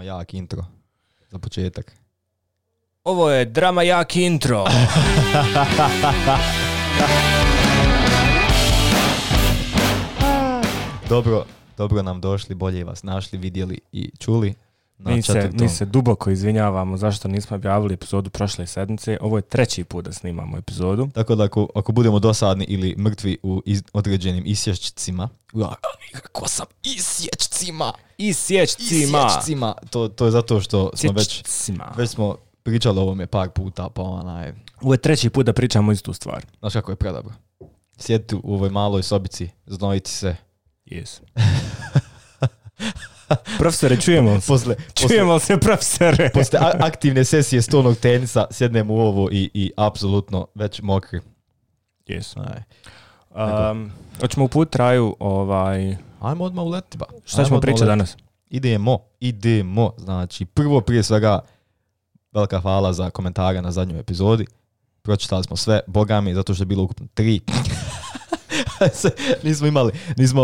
Drama jak intro. Za početak. Ovo je drama jak intro. Dobro nam došli, bolje vas našli, vidjeli i čuli. Mi se duboko izvinjavamo zašto nismo objavili epizodu prošle sedmice. Ovo je 3. put da snimamo epizodu. Tako da ako budemo dosadni ili mrtvi u određenim isječcima, kako sam isječcima, to je zato što smo već smo pričali o ovome par puta, pa onaj... Ovo je 3. put da pričamo istu stvar. Znaš kako je predobro. Sjediti u ovoj maloj sobici, znojiti se. Yes. Profesore, čujemo se, profesore. Posle aktivne sesije stolnog tenisa sjednemo u ovo i apsolutno već mokri. Yes. Hoćemo uput traju Ajmo odmah uletiti ba. Šta ćemo pričati danas? Idemo. Znači, prvo prije svega velika hvala za komentare na zadnjoj epizodi. Pročitali smo sve, bogami, zato što je bilo ukupno 3. nismo imali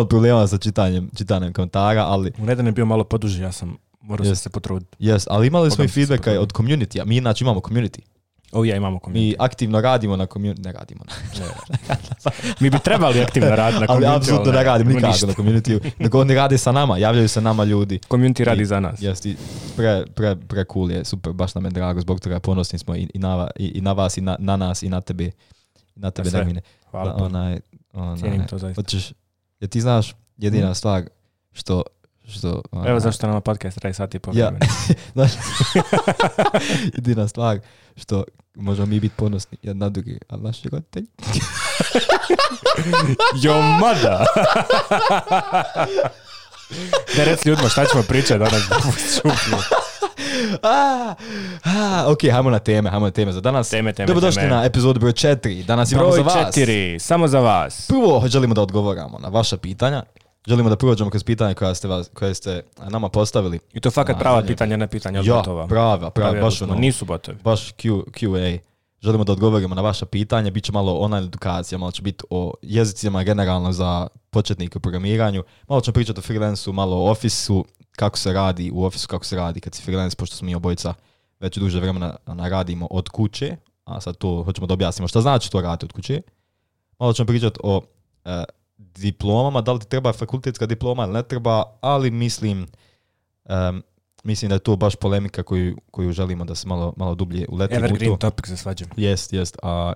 problema sa čitanjem komentara, ali... U nedan je bio malo poduži, ja sam morao se potruditi. Yes, ali imali smo i feedbacka od community-a. Mi inače imamo community. Imamo community. Mi aktivno radimo na community. Ne radimo. Mi bi trebali aktivno raditi na community. Ali apsolutno ne radimo nikako na community. Nego oni rade sa nama, javljaju se nama ljudi. Community radi za nas. Jeste, pre cool je, super, baš nam je drago, zbog toga ponosni smo i na vas, i na nas, i na tebe. Na tebe, Nermine. Hvala. Cijenim to zaista. Jer ti znaš jedina stvar što evo zašto nama podcast traje sat i pol. Ja. Jedina stvar što možemo mi biti ponosni jedan na drugi, ali naši roditelji. Jo mada! Da reci ljudima šta ćemo pričati danas. Ok, hajmo na teme za danas. Dobrodošli na epizodu broj 4. Danas imamo za vas. Broj 4, samo za vas. Prvo želimo da odgovoramo na vaša pitanja. Želimo da prođemo kroz pitanja koje ste nama postavili. I to fakat prava pitanja, ne pitanja od botova. Ja, prava, baš ono. Nisu botovi. Baš QA. Želimo da odgovorimo na vaša pitanja. Biće malo online edukacija, malo će biti o jezicima generalno za početnike u programiranju. Malo ćemo pričati o freelancu, malo o Office-u, kako se radi u Office-u, kako se radi kad si freelance, pošto smo mi obojica već duže vremena radimo od kuće, a sad to hoćemo da objasnimo šta znači to raditi od kuće. Malo ćemo pričati o diplomama, da li ti treba fakultetska diploma ili ne treba, ali mislim da je to baš polemika koju želimo da se malo dublje uletimo. Evergreen topic za svađu. Jest.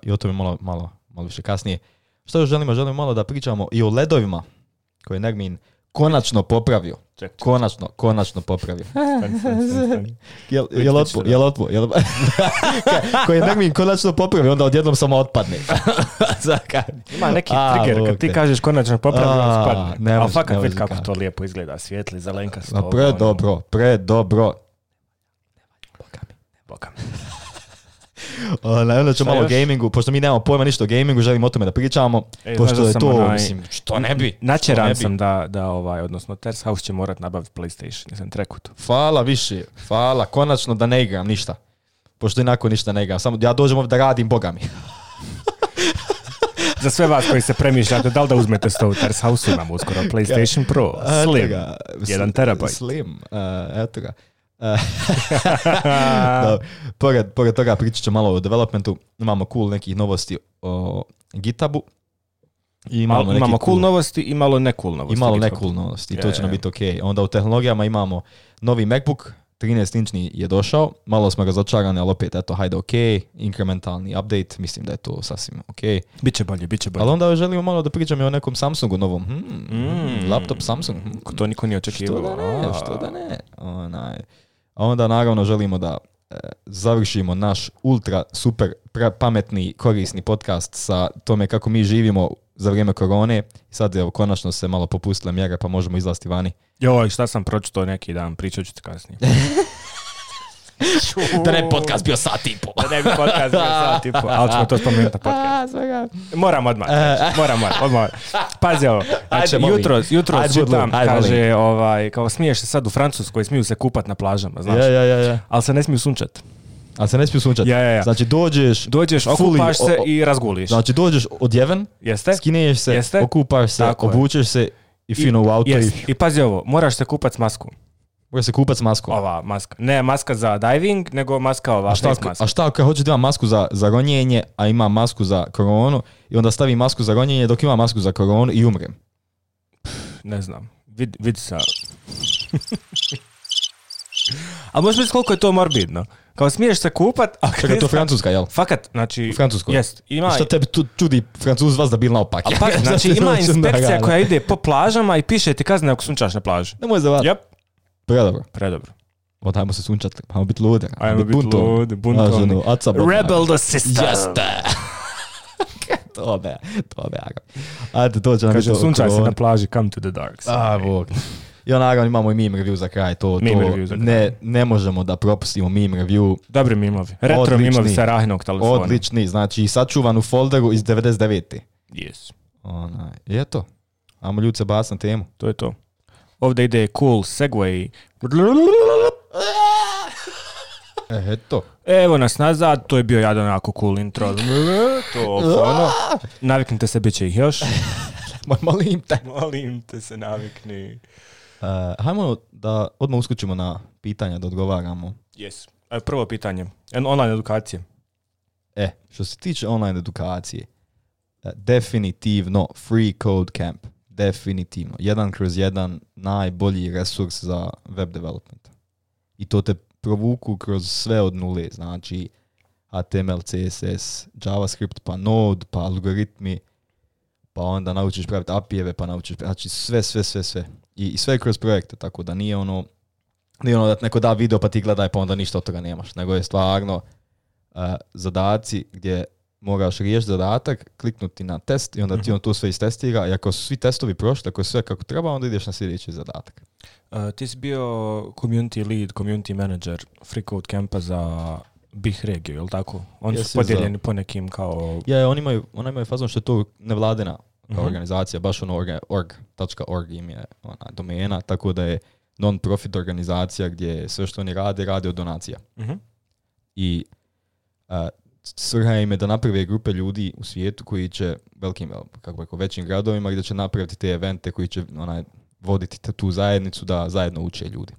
I o tome malo više kasnije. Što još želimo? Želimo malo da pričamo i o ledovima koje je Nermin konačno popravio. Konačno popravio. Jel otpo? Koji je Nermin konačno popravio, onda odjednom samo otpadne. Ima neki trigger, kad ti kažeš konačno popravio, on spadne. Ali fakat vidi kako to lijepo izgleda, svijetli, zelenkasto. Predobro. Bogami. Onda ćemo malo o gamingu, pošto mi nemamo pojma ništa o gamingu, želimo o tome da pričamo, pošto je to, mislim, što ne bi. Načeran sam odnosno Terrace House će morat nabaviti PlayStation, nisam trekut. Hvala, konačno da ne igram ništa, pošto inako ništa ne igram, samo ja dođem ovdje da radim, bogami. Za sve vas koji se premišljate, da li da uzmete sto u Terrace House, imamo uskoro PlayStation Pro, Slim, 1 terabajt. Slim, eto ga. Pored toga pričat ću malo o developmentu. Imamo cool nekih novosti o GitHubu. Imamo cool novosti i malo ne cool novosti. I to će nam biti ok. Onda u tehnologijama imamo novi MacBook, 13-inčni je došao. Malo smo razočarani, ali opet eto, hajde ok. Inkrementalni update, mislim da je to sasvim ok. Biće bolje. Ali onda želimo malo da pričamo i o nekom Samsungu novom. Laptop Samsung. To niko nije očekivao. Što da ne. A onda naravno želimo da završimo naš ultra super pametni korisni podcast sa tome kako mi živimo za vrijeme korone. Sad evo konačno se malo popustile mjere pa možemo izlaziti vani. Joj, šta sam pročitao neki dan, pričat ću ti kasnije. Da ne bi podcast bio sat i po. Ali ćemo to spomenuti na podcast. Moram odmah. Pazi ovo. Znači, jutros čitam, kaže, kao smiješ se sad u Francuskoj, smiju se kupat na plažama, znaš. Ali se ne smiju sunčat. Ja. Znači dođeš okupaš se i razguliš. Znači dođeš odjeven, skineš se, okupaš se, obučeš se i fino u auto. I pazi ovo, moraš se kupat s maskom. Može se kupat s maskom. Ova maska. Ne maska za diving, nego maska ova face maska. A šta ako hoće da ima masku za ronjenje, a ima masku za koronu i onda stavi masku za ronjenje dok ima masku za koronu i umrem? Ne znam. Vidi sa... Ali možeš misliti koliko je to morbidno. Kao smiješ se kupat, a čekaj, to je Francuska, jel? Fakat, znači... U Francuskoj? Jest. Ima... Šta tebi čudi Francuz vas da bil naopak? Znači ima inspekcija koja ide po plažama i piše ti kazne ako sunčaš na plaži. Nemoj zavati. Yep. Predobro. Ajmo se sunčati, ajmo biti ludi. Ajmo biti ludi, buntovni. Rebel the system. Jeste. To be. Ajde, to će nam biti... Kaže, sunčaj se na plaži, come to the dark side. Bog. I naravno imamo i meme review za kraj. Ne možemo da propustimo meme review. Dobri memovi. Retro memovi sa Rahinog telefona. Odlični, znači sačuvan u folderu iz 99. Yes. I eto. Ajmo ljudi se bas na temu. To je to. Ovdje ide cool segway. Eto. Evo nas nazad, to je bio jedan onako cool intro. Naviknite se, bit će ih još. Molim te se navikni. Hajmo da odmah uskočimo na pitanja da odgovaramo. Yes. Prvo pitanje. Online edukacije. Što se tiče online edukacije, definitivno Free Code Camp. Definitivno. 1/1 najbolji resurs za web development. I to te provuku kroz sve od nule. Znači HTML, CSS, JavaScript, pa Node, pa algoritmi, pa onda naučiš praviti API-eve, pa naučiš, znači sve. I sve kroz projekte, tako da nije ono da neko da video pa ti gledaj pa onda ništa od toga nemaš, nego je stvarno zadaci gdje moraš riješiti zadatak, kliknuti na test i onda ti on to sve istestira i ako su svi testovi prošli, ako je sve kako treba, onda ideš na sljedeći zadatak. Ti si bio community lead, community manager Free Code Campa za BiH regiju, je li tako? Oni su podijeljeni po nekim kao... oni imaju fazon što je to nevladina kao organizacija, baš ono org.org im je domena, tako da je non-profit organizacija gdje sve što oni rade od donacija. I svrha im je da naprave grupe ljudi u svijetu koji će većim gradovima gdje će napraviti te evente koji će voditi tu zajednicu da zajedno uče ljudi.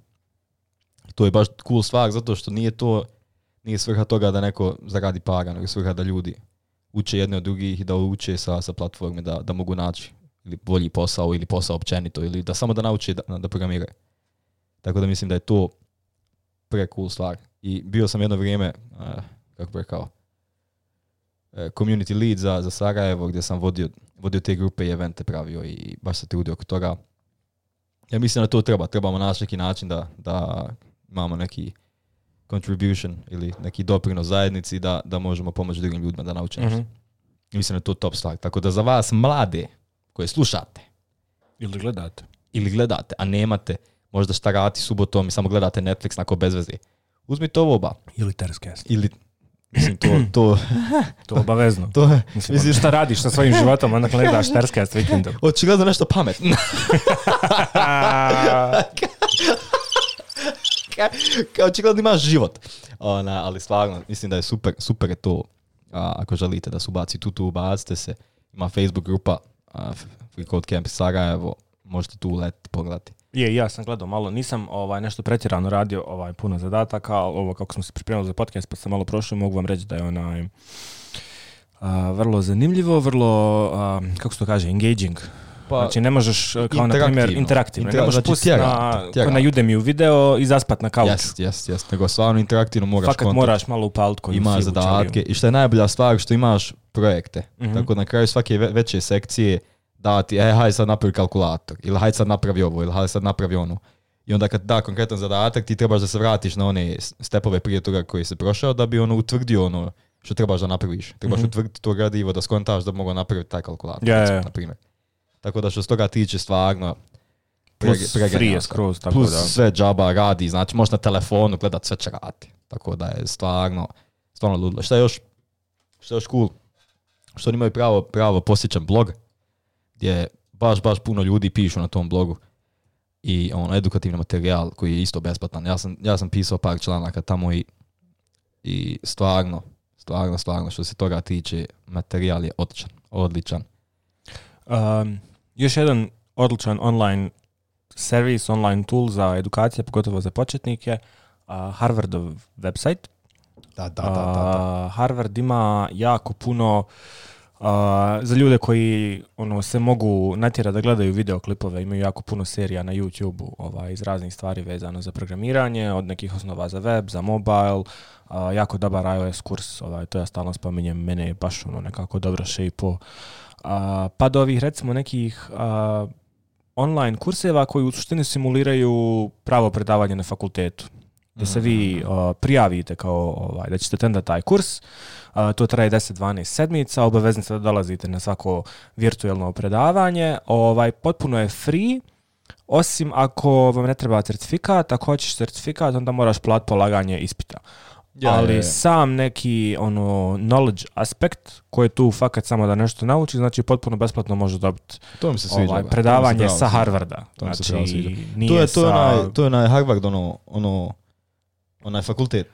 To je baš cool stvar zato što nije svrha toga da neko zaradi para, nego svrha da ljudi uče jedne od drugih i da uče sa platforme da mogu naći ili bolji posao ili posao općenito ili da samo da nauče da programiraju. Tako da mislim da je to cool stvar. I bio sam jedno vrijeme, community lead za Sarajevo gdje sam vodio te grupe i evente pravio i baš se trudio oko toga. Ja mislim da to trebamo naći neki način da imamo neki contribution ili neki doprinos zajednici da možemo pomoći drugim ljudima da nauče nešto. Mislim da je to top stvar. Tako da za vas mlade koje slušate ili gledate, a nemate možda šta raditi subotom i samo gledate Netflix nako bez veze, uzmite ovo oba. Ili Terscast. Mislim, to obavezno. Mislim, šta radiš sa svojim životom, onda gledaš Terscast vikendom. Očigledno nešto pametno. Kao očigledno imaš život. Ali stvarno, mislim da je super je to. Ako želite da se ubaci tu ubacite se. Ima Facebook grupa Free Code Camp Sarajevo. Možete tu uletiti, pogledati. Ja sam gledao malo, nisam nešto pretjerano radio puno zadataka, ali ovo kako smo se pripremali za podcast pa sam malo prošao, mogu vam reći da je vrlo zanimljivo, vrlo, kako se to kaže, engaging. Znači ne možeš, kao na primjer, interaktivno. Ne možeš pustiti na Udemy video i zaspat na kauču. Jest. Nego stvarno interaktivno moraš kontakt. Fakat moraš malo upaliti koju imaš zadatke. I što je najbolja stvar, što imaš projekte. Tako na kraju svake veće sekcije dati, hajde sad napravi kalkulator, ili hajde sad napravi ovo, ili hajde sad napravi ono. I onda kad da konkretan zadatak, ti trebaš da se vratiš na one stepove prije toga koji se prošao, da bi utvrdio ono što trebaš da napraviš. Trebaš utvrditi to gradivo da skontaš da bi mogao napraviti taj kalkulator, na primjer. Tako da što s toga tiče stvarno plus sve džaba radi, znači možeš na telefonu gledat sve će radi. Tako da je stvarno ludilo. Šta je još cool? Što oni imaju pravo posjećan blog, gdje baš puno ljudi pišu na tom blogu i edukativni materijal koji je isto besplatan. Ja sam pisao par članaka tamo i stvarno što se toga tiče, materijal je odličan. Još jedan odličan online servis, online tool za edukacije, pogotovo za početnike, Harvardov website. Da. Harvard ima jako puno za ljude koji se mogu natjerati da gledaju videoklipove, imaju jako puno serija na YouTube-u iz raznih stvari vezano za programiranje, od nekih osnova za web, za mobile, jako dobar iOS kurs, to ja stalno spominjem, mene je baš nekako dobro šejpo. Pa do ovih recimo nekih online kurseva koji u suštini simuliraju pravo predavanje na fakultetu. Da se vi prijavite kao da ćete tendati taj kurs, to traje 10-12 sedmica, obavezni ste da dolazite na svako virtualno predavanje, potpuno je free, osim ako vam ne treba certifikat, ako hoćeš certifikat, onda moraš platiti polaganje ispita. Ali sam neki knowledge aspekt koji je tu fakat samo da nešto nauči, znači potpuno besplatno može dobiti predavanje sa Harvarda. Znači, to je onaj Harvard, onaj fakultet.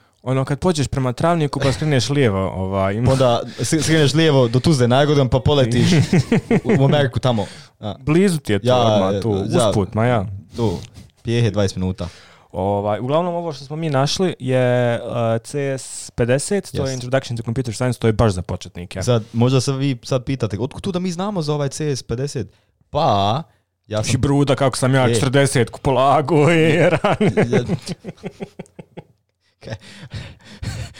Kad pođeš prema Travniku pa skreneš lijevo. Onda skreneš lijevo do Tuzle Najgordan pa poletiš u Ameriku tamo. Blizu ti je to odmah tu, usput, Tu, pijehe 20 minuta. Uglavnom ovo što smo mi našli je CS50, to je Introduction to Computer Science, to je baš za početnike. Možda se vi sad pitate, otkud tu da mi znamo za ovaj CS50? Pa, ja sam... Bruda, kako sam ja 40 polago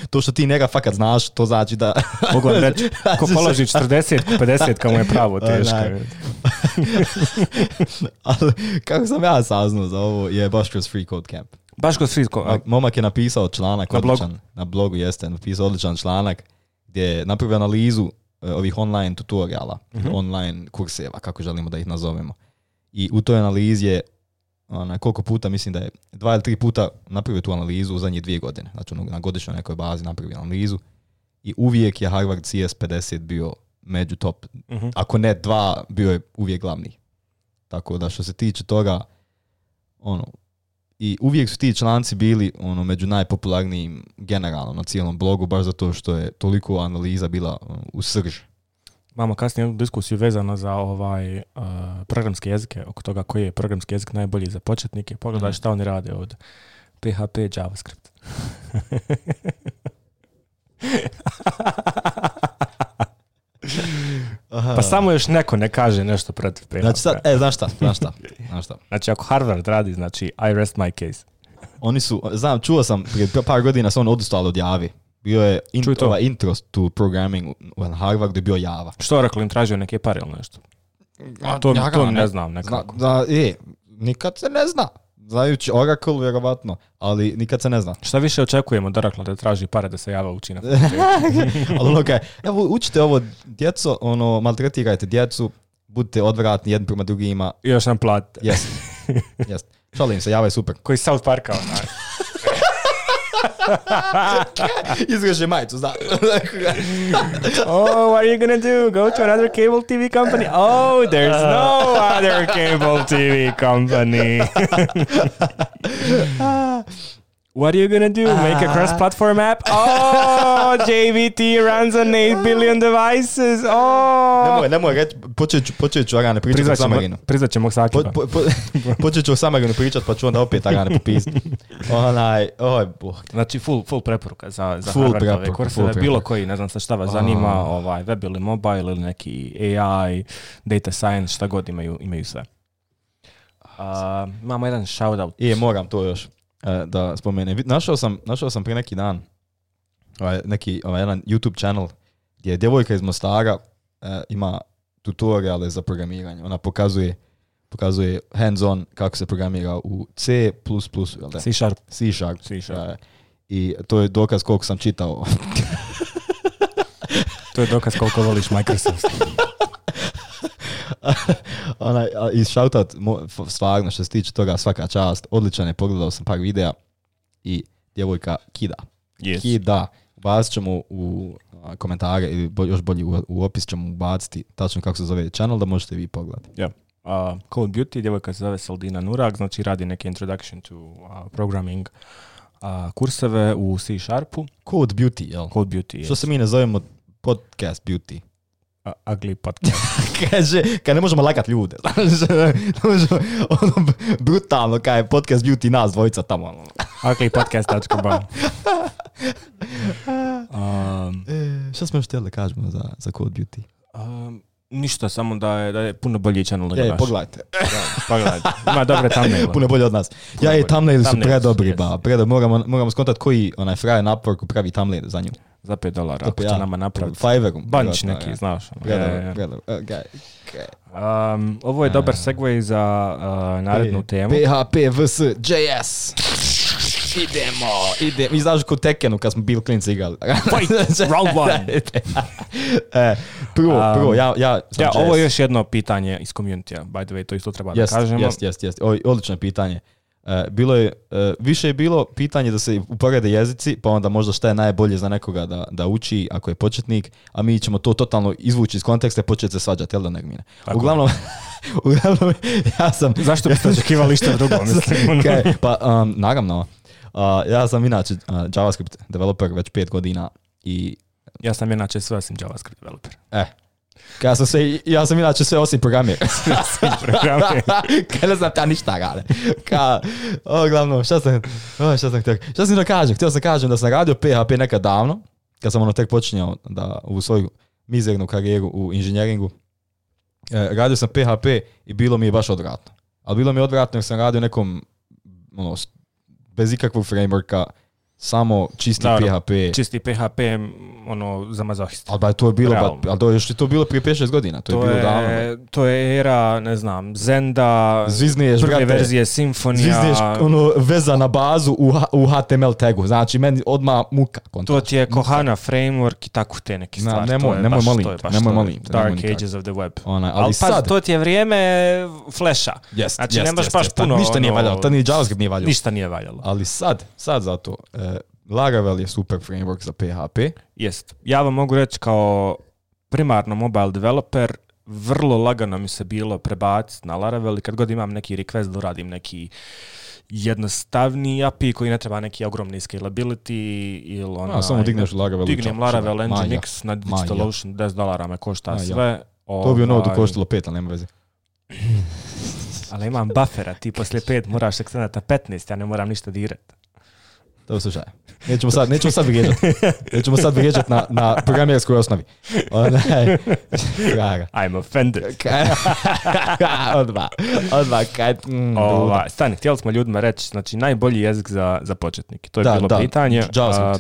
To što ti njega fakat znaš, to znači da... Mogu vam reći, ko položi 40, 50, kao mu je pravo teško. Ali kako sam ja saznao za ovo je baš kroz Free Code Camp. Baš kroz Free Code Camp. Momak je napisao članak odličan. Na blogu jeste napisao odličan članak gdje je napravio analizu ovih online tutoriala, online kurseva, kako želimo da ih nazovemo. I u toj analizi je koliko puta, mislim da je 2 ili 3 puta napravio tu analizu u zadnje 2 godine. Znači na godišnjoj nekoj bazi napravio analizu i uvijek je Harvard CS50 bio među top. Ako ne 2, bio je uvijek glavni. Tako da što se tiče toga, i uvijek su ti članci bili među najpopularnijim generalno na cijelom blogu, baš zato što je toliko analiza bila u srži. Imamo kasnije jednu diskusiju vezano za programske jezike, oko toga koji je programski jezik najbolji za početnike. Pogledaj šta oni rade od PHP, JavaScript. Pa samo još neko ne kaže nešto protiv PHP. Znači sad, znaš šta? Znači ako Harvard radi, znači I rest my case. Oni su, čuo sam prije par godina su oni odustali od Javi. Bio je intro to programming u Harvardu je bio Java. Što rekao, im tražio neke pare ili nešto? To ne znam nekako. Nikad se ne zna. Znajući Oracle, vjerovatno, ali nikad se ne zna. Šta više očekujemo od Oracle da traži pare da se Java uči na Ali evo, učite ovo, djeco, maltretirajte djecu, budite odvratni jedni prema drugima. I još nam platite. Jest. Šalim se, Java je super. Koji South Parka, Izreže majicu, zna. Oh, what are you gonna do? Go to another cable TV company? Oh, there's no other cable TV company. What are you gonna do? Make a cross-platform app? Oh, JVT runs on 8 billion devices. Oh. Nemoj reći, počet ću Arane pričati o Samarinu. Priznat ćemo Sakiba. Počet ću o Samarinu pričati, pa ću onda opet Arane popisati. Znači, full preporuka za Harvardove kurseve. Bilo koji, ne znam šta vas zanima, web ili mobile ili neki AI, data science, šta god imaju sve. Imamo jedan shoutout. Moram to još da spomenem. Našao sam prije neki dan jedan YouTube channel gdje djevojka iz Mostara ima tutoriale za programiranje. Ona pokazuje hands-on kako se programira u C++, C Sharp. I to je dokaz koliko sam čitao. To je dokaz koliko voliš Microsoft. I shoutout, stvarno što se tiče toga, svaka čast, odličan je, pogledao sam par videa i djevojka kida. Kida. Ubacit ćemo u komentare ili još bolje u opis ćemo ubaciti tačno kako se zove channel da možete vi pogledati. Code Beauty, djevojka se zove Saldina Nurak, znači radi neke Introduction to Programming kurseve u C Sharpu. Code Beauty, jel? Code Beauty, što se mi ne zovemo Podcast Beauty. Ugly podcast. Kaže, kad ne možemo lagat ljude. Ono, brutalno, kaj je podcast beauty nas dvojica tamo. Uglypodcast.com Šta smo još htjeli da kažemo za Code Beauty? Ništa, samo da je puno bolji channel nego naš. Pogledajte. Pogledajte. Ima dobre thumbnail. Puno bolje od nas. Thumbnaili su predobri, moramo skontat koji onaj frajer na Upworku pravi thumbnail za nju. Za $5, ako će nama napraviti. Fiverrom. Bunch neki, znaš. Predobro. Ovo je dobar segway za narednu temu. PHP vs. JS. Idemo. I znaš kod Tekenu kad smo bili klinci igrali. Fight, round one. Prvo, ovo je još jedno pitanje iz community-a, by the way, to isto treba da kažemo. Jest. Odlično pitanje. Više je bilo pitanje da se uporede jezici, pa onda možda šta je najbolje za nekoga da uči ako je početnik, a mi ćemo to totalno izvući iz konteksta i početi se svađati, jel da ne gmine? Uglavnom, ja sam... Zašto biste očekivali što drugo, mislim? Pa, naravno, ja sam inače JavaScript developer već 5 godina i... Ja sam inače sve osim JavaScript developer. Ja sam inače sve osim programir. Kaj ne znam ta ništa rade. Glavno, šta sam da kažem? Htio sam kažem da sam radio PHP nekad davno, kad sam tek počinjao u svoju mizernu karijeru u inženjeringu. Radio sam PHP i bilo mi je baš odvratno. Ali bilo mi je odvratno jer sam radio nekom bez ikakvog frameworka, samo čisti PHP. Čisti PHP, za mazohista. Ali to je bilo, još je to bilo prije 5-6 godina. To je bilo davno. To je era, ne znam, Zenda, prve verzije Symfonia. Zvizniješ veza na bazu u HTML tagu. Znači, meni odmah muka. To ti je Kohana framework i tako te neke stvari. Nemoj molim. Dark Ages of the Web. Ali sad... to ti je vrijeme Flasha. Znači, nemaš baš puno... Ništa nije valjalo. To ni JavaScript nije valjalo. Ništa nije valjalo. Ali sad zato... Laravel je super framework za PHP. Jest. Ja vam mogu reći kao primarno mobile developer, vrlo lagano mi se bilo prebaciti na Laravel i kad god imam neki request da uradim neki jednostavni API koji ne treba neki ogromni scalability ili samo digneš Laravel. Dignem Laravel Nginx na DigitalOcean, $10 me košta sve. To bi ono koštalo 5, ali nema veze. Ali imam buffera, ti poslije 5 moraš ekstendati na 15, ja ne moram ništa dirati. To slušaj. Nećemo sad vrijeđati. Nećemo sad vrijeđati na programerskoj osnovi. I'm offended. Odmah. Stani, htjeli smo ljudima reći, znači najbolji jezik za početnike. To je bilo pitanje.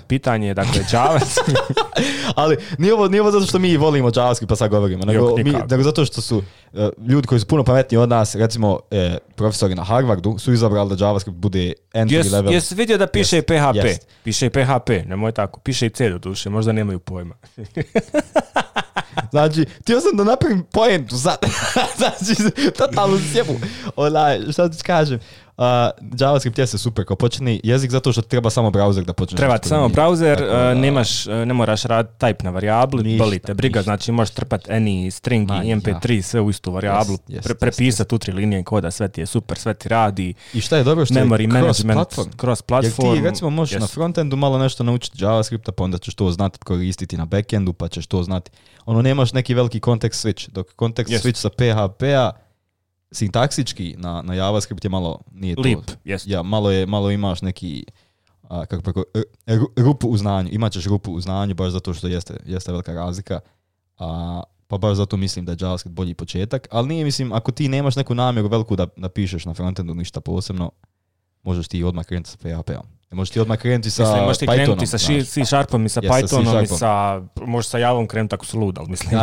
Pitanje je, dakle, JavaScript. Ali nije ovo zato što mi volimo JavaScript pa sad govorimo, nego zato što su ljudi koji su puno pametniji od nas, recimo profesori na Harvardu, su izabrali da JavaScript bude entry level. Jesi vidio da piše i PHP? Piše i PHP, nemoj tako. Piše i C do duše, možda nemaju pojma. Znači, htio sam da napravim poentu sad. Znači, totalno sjebu. Šta ti kažem? JavaScript je super kao početni jezik zato što treba samo browser da počneš. Treba ti samo browser, ne moraš raditi type na varijabli, boli te briga, znači možeš trpati any string i mp3 sve u istu varijablu, prepisati u 3 linije koda, sve ti je super, sve ti radi. I šta je dobro što memory management, cross platform. Jer ti recimo možeš na frontendu malo nešto naučiti JavaScripta, pa onda ćeš to znati koristiti na backendu, pa ćeš to znati. Nemaš neki veliki context switch, dok context switch sa PHP-a sintaksički na JavaScript je malo nije to. Leap, ja, malo imaš neki rupu u znanju. Imaćeš rupu u znanju baš zato što jeste velika razlika. Pa baš zato mislim da je JavaScript bolji početak. Ali nije, mislim, ako ti nemaš neku namjeru veliku da pišeš na frontendu ništa posebno, možeš ti odmah krenuti sa PHP-om. Možeš ti odmah krenuti sa Pythonom. Možeš ti krenuti sa C-Sharpom i sa Pythonom i možeš sa Javom krenuti ako su lud, ali mislim.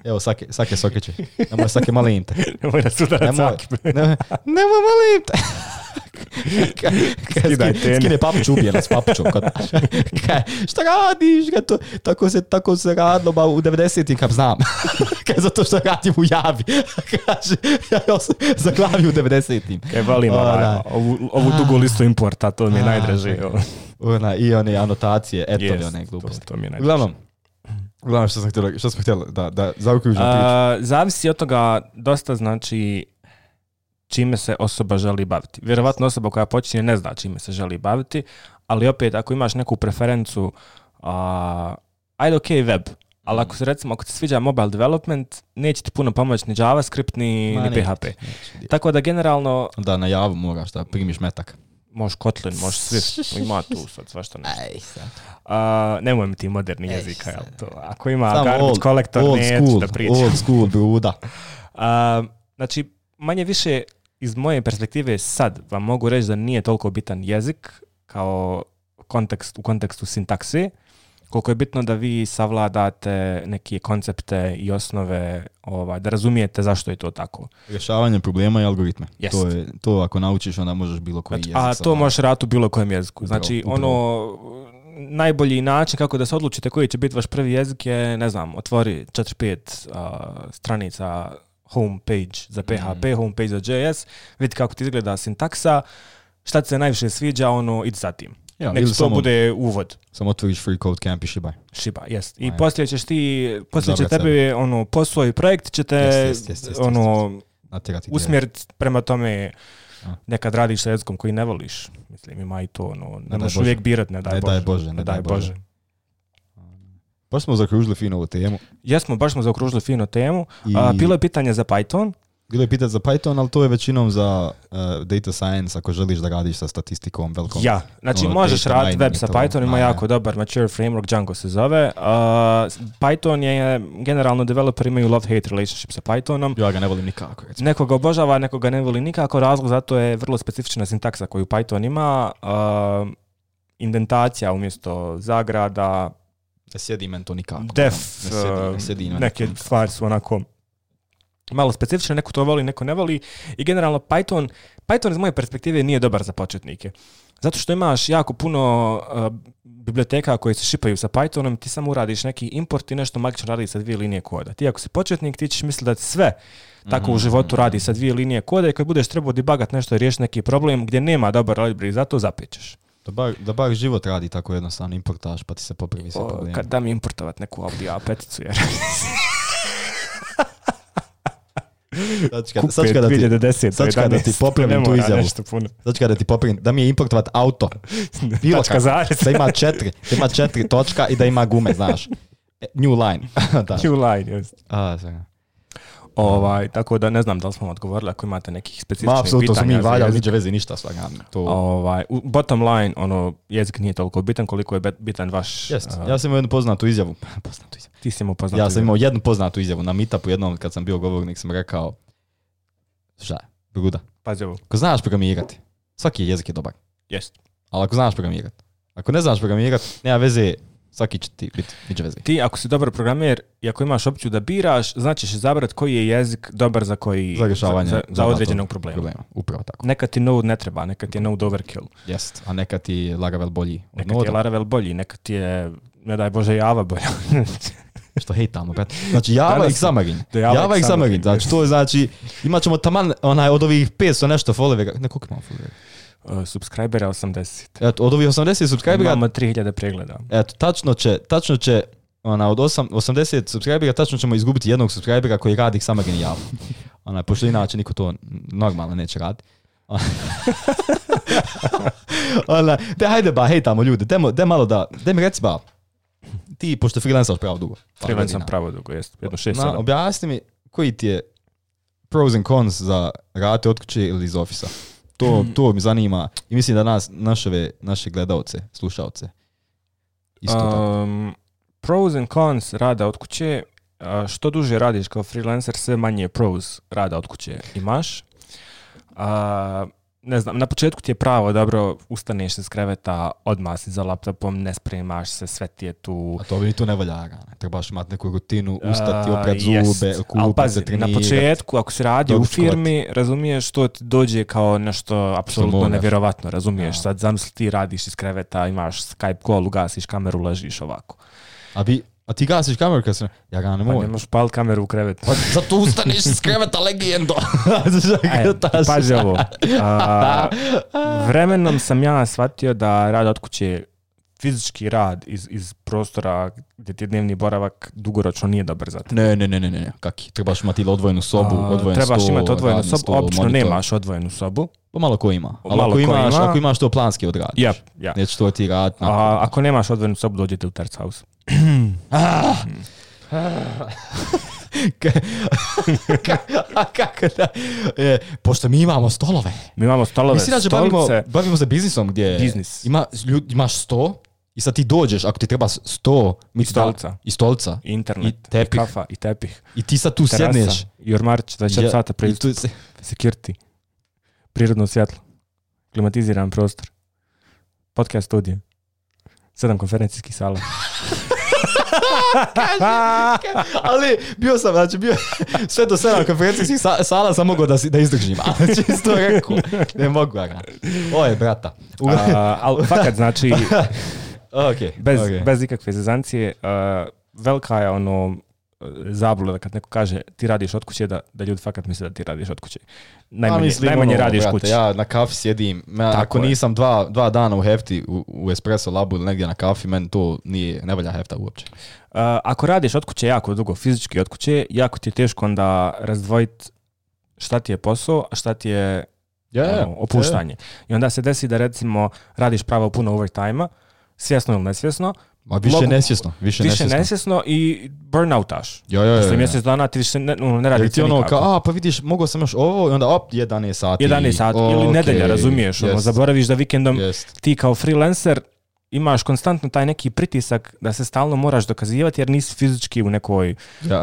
Evo, sake sokeće. Nemoj sake malim te. Nemoj nasudarati sake. Nemoj malim te. Skidaj tene. Skine papuću, ubije nas papućom. Šta radiš? Tako se radilo ba u 90-im kad znam. Zato što radim u Javi. Kaže, ja sam zaglavio u 90-im. Volim ovu dugu listu importa, to mi je najdraže. I one anotacije, etove, one gluposti. To mi je najdraže. Uglavnom što smo htjeli da zaokružimo priču. Zavisi od toga dosta, znači čime se osoba želi baviti. Vjerovatno osoba koja počinje ne zna čime se želi baviti, ali opet ako imaš neku preferencu, ajde web, Ali ako se recimo, ako ti sviđa mobile development, neće ti puno pomoći ni JavaScript, ni PHP. Tako da generalno... Da, na Javu moraš da primiš metak. Možeš Kotlin, možeš Swift, ima tu sad svašta nešto. Nemoj mi ti moderni jezika, jel to? Ako ima garbage collector, neću da pričam. Old school, bruda. Znači, manje više iz moje perspektive sad vam mogu reći da nije toliko bitan jezik kao u kontekstu sintakse, koliko je bitno da vi savladate neke koncepte i osnove, da razumijete zašto je to tako. Rješavanje problema i algoritme. To ako naučiš, onda možeš bilo koji jezik. A to možeš raditi u bilo kojem jeziku. Znači, najbolji način kako da se odlučite koji će biti vaš prvi jezik je, ne znam, otvori 4-5 stranica homepage za PHP, homepage za JS, vidi kako ti izgleda sintaksa, šta ti se najviše sviđa, idi za tim. Ja, nek to bude uvod. Samo otvoriš free code camp i šibaj. Jest. I poslije ćeš poslije će tebi posao i projekt će te usmjeriti prema tome. Nekad radiš sa jezikom koji ne voliš. Mislim, ima i to, ne možeš uvijek birat, ne daj Bože. Baš smo zaokružili fino ovu temu. Jesmo, baš smo zaokružili fino temu. Bilo je pitanje za Python. Bilo je pitanje za Python, ali to je većinom za data science, ako želiš da radiš sa statistikom velikom. Ja, znači možeš raditi web sa Python, ima jako dobar mature framework, Django se zove. Python je, generalno developeri imaju love-hate relationship sa Pythonom. Ja ga ne volim nikako. Recimo. Neko ga obožava, neko ga ne voli nikako. Razlog za to je vrlo specifična sintaksa koju Python ima. Indentacija umjesto zagrada. Ne sjedi men to nikako. Def, neke stvari su onako malo specifične, neko to voli, neko ne voli. I generalno Python iz moje perspektive nije dobar za početnike. Zato što imaš jako puno biblioteka koje se šipaju sa Pythonom, ti samo uradiš neki import i nešto magično radi sa 2 linije koda. Ti ako si početnik, ti ćeš misliti da sve tako u životu radi sa 2 linije koda i kad budeš trebao debugat nešto i riješiti neki problem gdje nema dobar library, zato zapećeš. Da bar život radi tako jednostavno, importaš pa ti se popravi sve probleme. Kad dam importovat neku Audi A5-icu, jer... Sad kada ti popravim tu izjavu. Sad kada ti popravim da mi je importovat auto. Bilo kako. Da ima 4 točka i da ima gume, znaš. New line. New line, jest. Tako da ne znam da li smo odgovorili ako imate nekih specifičnih pitanja. Apsolutno su mi valjali, niđe veze ništa svaga. Bottom line, jezik nije toliko bitan koliko je bitan vaš... Ja sam imao jednu poznatu izjavu. Ti si imao poznatu izjavu. Ja sam imao jednu poznatu izjavu na meetupu jednom kad sam bio govornik, sam rekao šta je, bruda. Pazi ovo. Ako znaš programirati, svaki jezik je dobar. Jest. Ali ako znaš programirati, ako ne znaš programirati, nema veze, svaki će ti biti, niđe veze. Ti ako si dobar programer i ako imaš opciju da biraš, znači ćeš izabrati koji je jezik dobar za koji... Za rješavanje. Za određenog problema. Upravo tako. Nekad ti Node ne treba, nekad ti je Node overkill. Jest, a nekad ti je Laravel bolji. Nekad ti je Laravel bolji, nekad ti je, ne daj Bože, Java bolja. Što hejtamo, brate. Znači Java i Xamarin. Java i Xamarin. Znači to je, znači, imat ćemo taman od ovih 500 nešto followera. Ne, koliko imamo followera? Subscribera 80. Eto, od ovih 80 subscribera... Imamo 3000 pregleda. Eto, tačno će od 80 subscribera, tačno ćemo izgubiti jednog subscribera koji radi Xamarin i Java. Pošto inače niko to normalno neće raditi. Hajde hejtamo ljude. Daj malo daj mi reci ti, pošto freelancaš pravo dugo. Freelancam pravo dugo, jest. Jedno 6-7. Objasni mi koji ti je pros and cons za raditi od kuće ili iz ofisa. To mi zanima i mislim da naše gledalce, slušalce isto tako. Pros and cons rada od kuće, što duže radiš kao freelancer, sve manje pros rada od kuće imaš. Ne znam, na početku ti je pravo, dobro, ustaneš se s kreveta, odmah si za laptopom, ne spremaš se, sve ti je tu. A to bi tu ne valja, trebaš imati neku rutinu, ustati, oprat zube, kupati se, trenirati. Na početku, ako si radio u firmi, razumiješ, to ti dođe kao nešto apsolutno nevjerovatno, razumiješ, sad zamisli ti radiš iz kreveta, imaš Skype call, ugasiš kameru, ležiš ovako. A ti gasiš kameru kad se... Ja ga ne mogu. Pa nemaš palit kameru u krevetu. Pa zato ustaneš iz kreveta, legendo. Pazi ovo. Vremenom sam ja shvatio da rad od kuće, fizički rad iz prostora gdje ti je dnevni boravak dugoročno nije dobar za te. Ne. Kaki? Trebaš imati odvojenu sobu, odvojen sto, trebaš imati odvojenu sobu, obično nemaš odvojenu sobu. Pa malo ko ima. Ali ako imaš to planski odradiš. Neće to ti raditi. Ako nemaš odvojenu sobu, dođete u terc house. Kako da? Pošto mi imamo stolove. Mislim da bavimo se biznisom gdje imaš 100 i sad ti dođeš, ako ti treba 100 i stolca, i internet, i tepih. i kafa, i tepih. I ti sad tu terasa, sjedneš. I ormarić, 24 sata pristup, security, prirodno svjetlo, klimatiziran prostor, podcast studije, 7 konferencijskih sala. Ali bio sve do 7 konferencijskih sala sam mogao da izdržim, ali čisto rekao, ne mogu ja. Oje, brata. Ali fakat znači, okay. bez ikakve zezancije, velika je zabluda kad neko kaže ti radiš od kuće, da ljudi fakat misle da ti radiš od kuće. Najmanje radiš kuće. Ja na kafi sjedim, ako nisam dva dana u hefti u espresso labu ili negdje na kafi, meni to ne valja hefta uopće. Ako radiš od kuće jako dugo, fizički od kuće, jako ti je teško onda razdvojiti šta ti je posao, a šta ti je opuštanje. I onda se desi da recimo radiš pravo puno overtime-a, svjesno ili nesvjesno, Ma više nesvjesno i burnoutaš. Posle mjesec dana ti više ne radiš nikako. Pa vidiš, mogao sam još ovo i onda 11 sati. 11 sati ili nedelja, razumiješ. Zaboraviš da vikendom ti kao freelancer imaš konstantno taj neki pritisak da se stalno moraš dokazivati jer nisi fizički u nekoj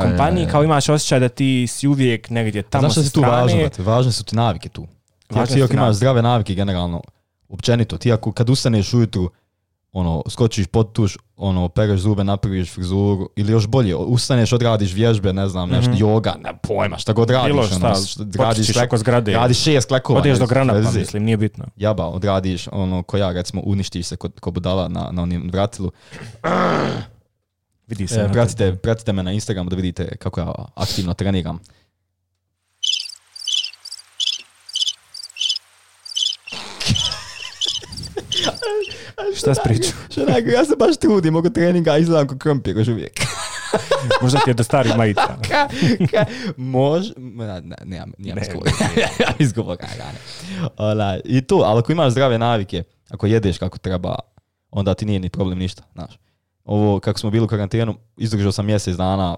kompaniji, kao imaš osjećaj da ti si uvijek negdje tamo sa strane. Znaš tu važne su ti navike tu. Ti ako imaš zdrave navike generalno, općenito, ti ako kad ustaneš ujutru, skočiš pod tuš, pereš zube, napraviš frizuru, ili još bolje, ustaneš, odradiš vježbe, ne znam, nešto, joga, ne pojma, šta god radiš. Bilo šta, oko zgrade. Radiš 6 klekova. Odeš do granata, mislim, nije bitno. Jaba, odradiš, ko ja, recimo, uništiš se ko budala na onim vratilu. Vidi se. Pratite me na Instagramu da vidite kako ja aktivno treniram. Šta spriču? Ja se baš trudim oko treninga, izgledam ko krompir još uvijek. Možda ti je do starih majica. Nemam izgovora. I to, ali ako imaš zdrave navike, ako jedeš kako treba, onda ti nije ni problem ništa. Znaš. Ovo, kako smo bili u karantenu, izdržao sam mjesec dana,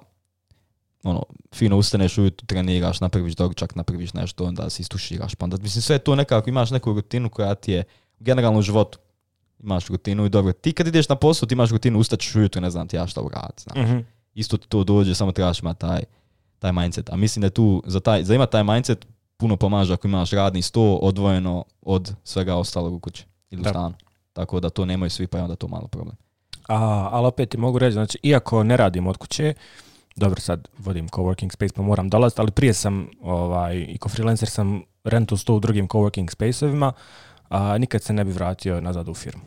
fino ustaneš ujutro, treniraš, napraviš doručak, napraviš nešto, onda se istuširaš. Pa onda, mislim, sve to nekako, imaš neku rutinu koja ti je generalno u životu. Imaš rutinu i dobro. Ti kad ideš na posao, ti imaš rutinu, ustaćeš ujutro, ne znam ti ja šta uraditi. Mm-hmm. Isto ti to dođe, samo trebaš imati taj mindset. A mislim da je tu, za imati taj mindset, puno pomaže ako imaš radni sto odvojeno od svega ostalog u kući ili u stanu. Tako da to nemaju svi, pa je onda to malo problem. Ali opet ti mogu reći, znači, iako ne radim od kuće, dobro, sad vodim coworking space pa moram dolaziti, ali prije sam, i ko freelancer sam rentu 100 u drugim coworking space-ovima, nikad se ne bi vratio nazad u firmu.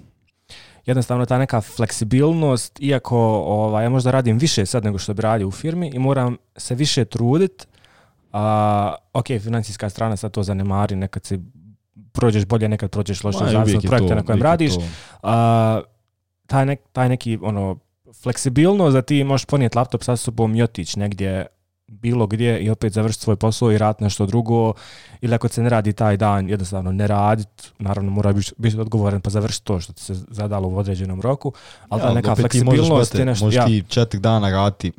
Jednostavno ta neka fleksibilnost, iako ja možda radim više sad nego što bi radio u firmi i moram se više truditi, financijska strana sad to zanemari, nekad si prođeš bolje, nekad prođeš loše, zavisno od projekta na kojem radiš. Taj neki fleksibilnost da ti možeš ponijeti laptop sa sobom i otići negdje bilo gdje i opet završiti svoj posao i raditi nešto drugo, ili ako se ne radi taj dan, jednostavno ne raditi, naravno mora biti odgovoran pa završiti to što ti se zadalo u određenom roku, ali ta neka fleksibilnost je nešto... Možeš ti 4 dana raditi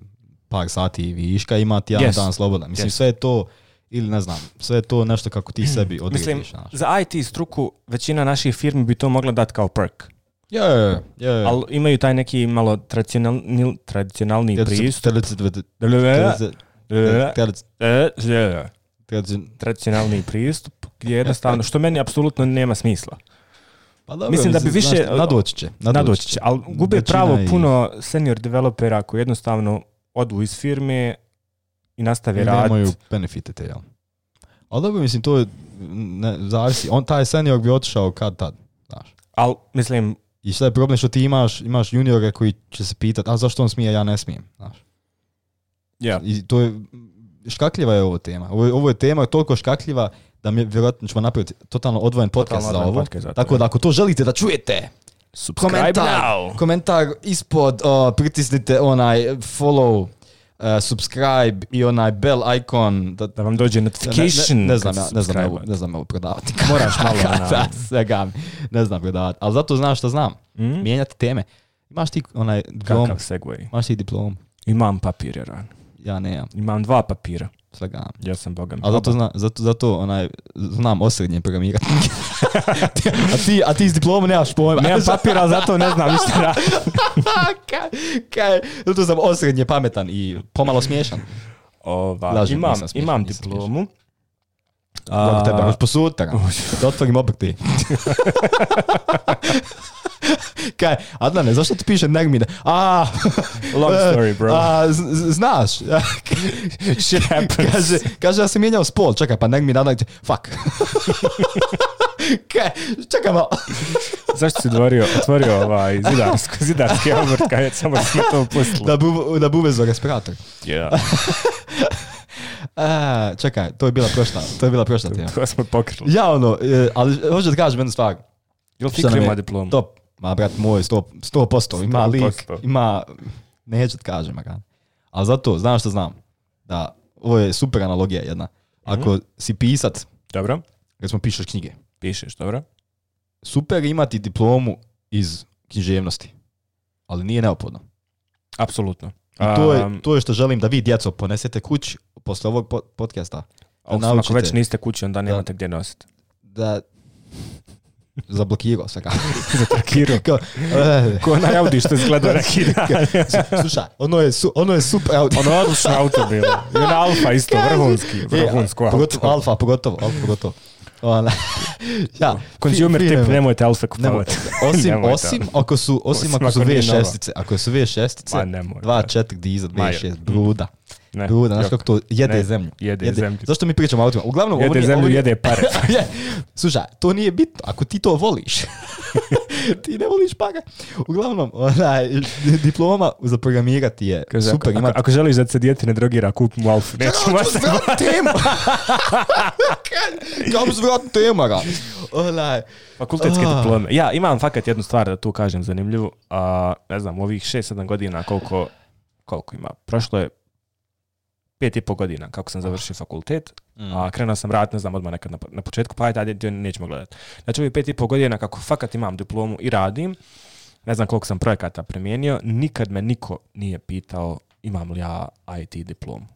par sati viška, imati jedan dan slobodan. Mislim, sve je to, ili ne znam, sve je to nešto kako ti sebi odrediš. Mislim, za IT struku većina naših firmi bi to mogla dati kao perk. Ali imaju taj neki malo tradicionalni pristup. Tradicionalni pristup gdje jednostavno, što meni apsolutno nema smisla. Pa dobro, mislim da bi više... Nadoći će. Ali gube pravo puno senior developera koji jednostavno odu iz firme i nastave raditi. Nemaju benefite te, jel? Ali dobro, mislim, to je... zavisi. Taj senior bi otišao kad tad, znaš. Ali, mislim... I šta je problem što ti imaš juniore koji će se pitati, a zašto on smije, ja ne smijem, znaš. Yeah. I to je, škakljiva je ovo tema. Ovo je tema toliko škakljiva da mi vjerojatno ćemo napraviti totalno odvojen podcast za ovo. Tako da ako to želite da čujete, komentar ispod, pritisnite onaj follow, subscribe i onaj bell icon. Da vam dođe notification. Ne znam ovo prodavati. Moraš malo. Ne znam prodavati. Ali zato znaš što znam. Mijenjati teme. Imaš ti onaj diplom. Kakav segway. Imaš ti diplom. Imam papir, Jeran. Ja nemam. Imam 2 papira. Svega. Ja sam Boga mi. A zato znam osrednje programirati. a ti s diplomom nemaš pojma. Nemam papira, ali zato ne znam ništa raditi. Zato sam osrednje pametan i pomalo smiješan. Imam diplomu. Kako tebe, još posutra. Da otvorim obrti. Kaj, Adnane, zašto ti piše Nermine? Long story, bro. Znaš. Shit happens. Kaže da sam mijenjao spol. Čekaj, pa Nermine, Adnane, fuck. Kaj, čekaj malo. Zašto si otvorio zidarski obrt, kaj samo smo to pustili? Da bi uvezo respirator. Yeah. Čekaj, to je bila prošla tema. To smo pokrili. Ja, ali hoću da kažem jednu stvar. Jel Fikri ima diplomu? Top. Ma, brat moj, 100%. Ima lik, ima... Neću da kažem, ali zato, znam što znam. Da, ovo je super analogija jedna. Ako si pisac... Dobro. Recimo pišeš knjige. Pišeš, dobro. Super imati diplomu iz književnosti. Ali nije neophodno. Apsolutno. To je što želim da vi, djeco, ponesete kući posle ovog podcasta. Ako već niste kući, onda nemate gdje nositi. Da... Zablokirao se kako. Zablokirao. Ko na Audi što izgleda neki dan. Slušaj, ono je super auto. Ono je odlično auto bilo. I ono Alfa isto, vrhunsko auto. Alfa pogotovo. Ja, consumer tip, nemojte Alfa kupovati. Osim ako su V6-ice. Ako su V6-ice, 2.4 dizel, V6, bruda. Bruda, znaš kako to jede zemlju. Jede zemlju. Zašto mi pričamo o autima? Uglavnom, jede zemlju, jede pare. Slušaj, to nije bitno. Ako ti to voliš, ti ne voliš pare. Uglavnom, diploma za programirati je super. Ako želiš da se dijete ne drogira, kup mu Alfu. Nećemo se vratiti temu. Kako se vratiti temu, Fakultetske diplome. Ja, imam fakat jednu stvar da tu kažem zanimljivu. Ne znam, ovih 6-7 godina koliko ima. Prošlo je 5,5 godina kako sam završio fakultet, a krenuo sam raditi, ne znam, odmah nekad na početku, pa ajde, nećemo gledati. Znači, ovih 5,5 godina kako fakat imam diplomu i radim, ne znam koliko sam projekata primijenio, nikad me niko nije pitao imam li ja IT diplomu.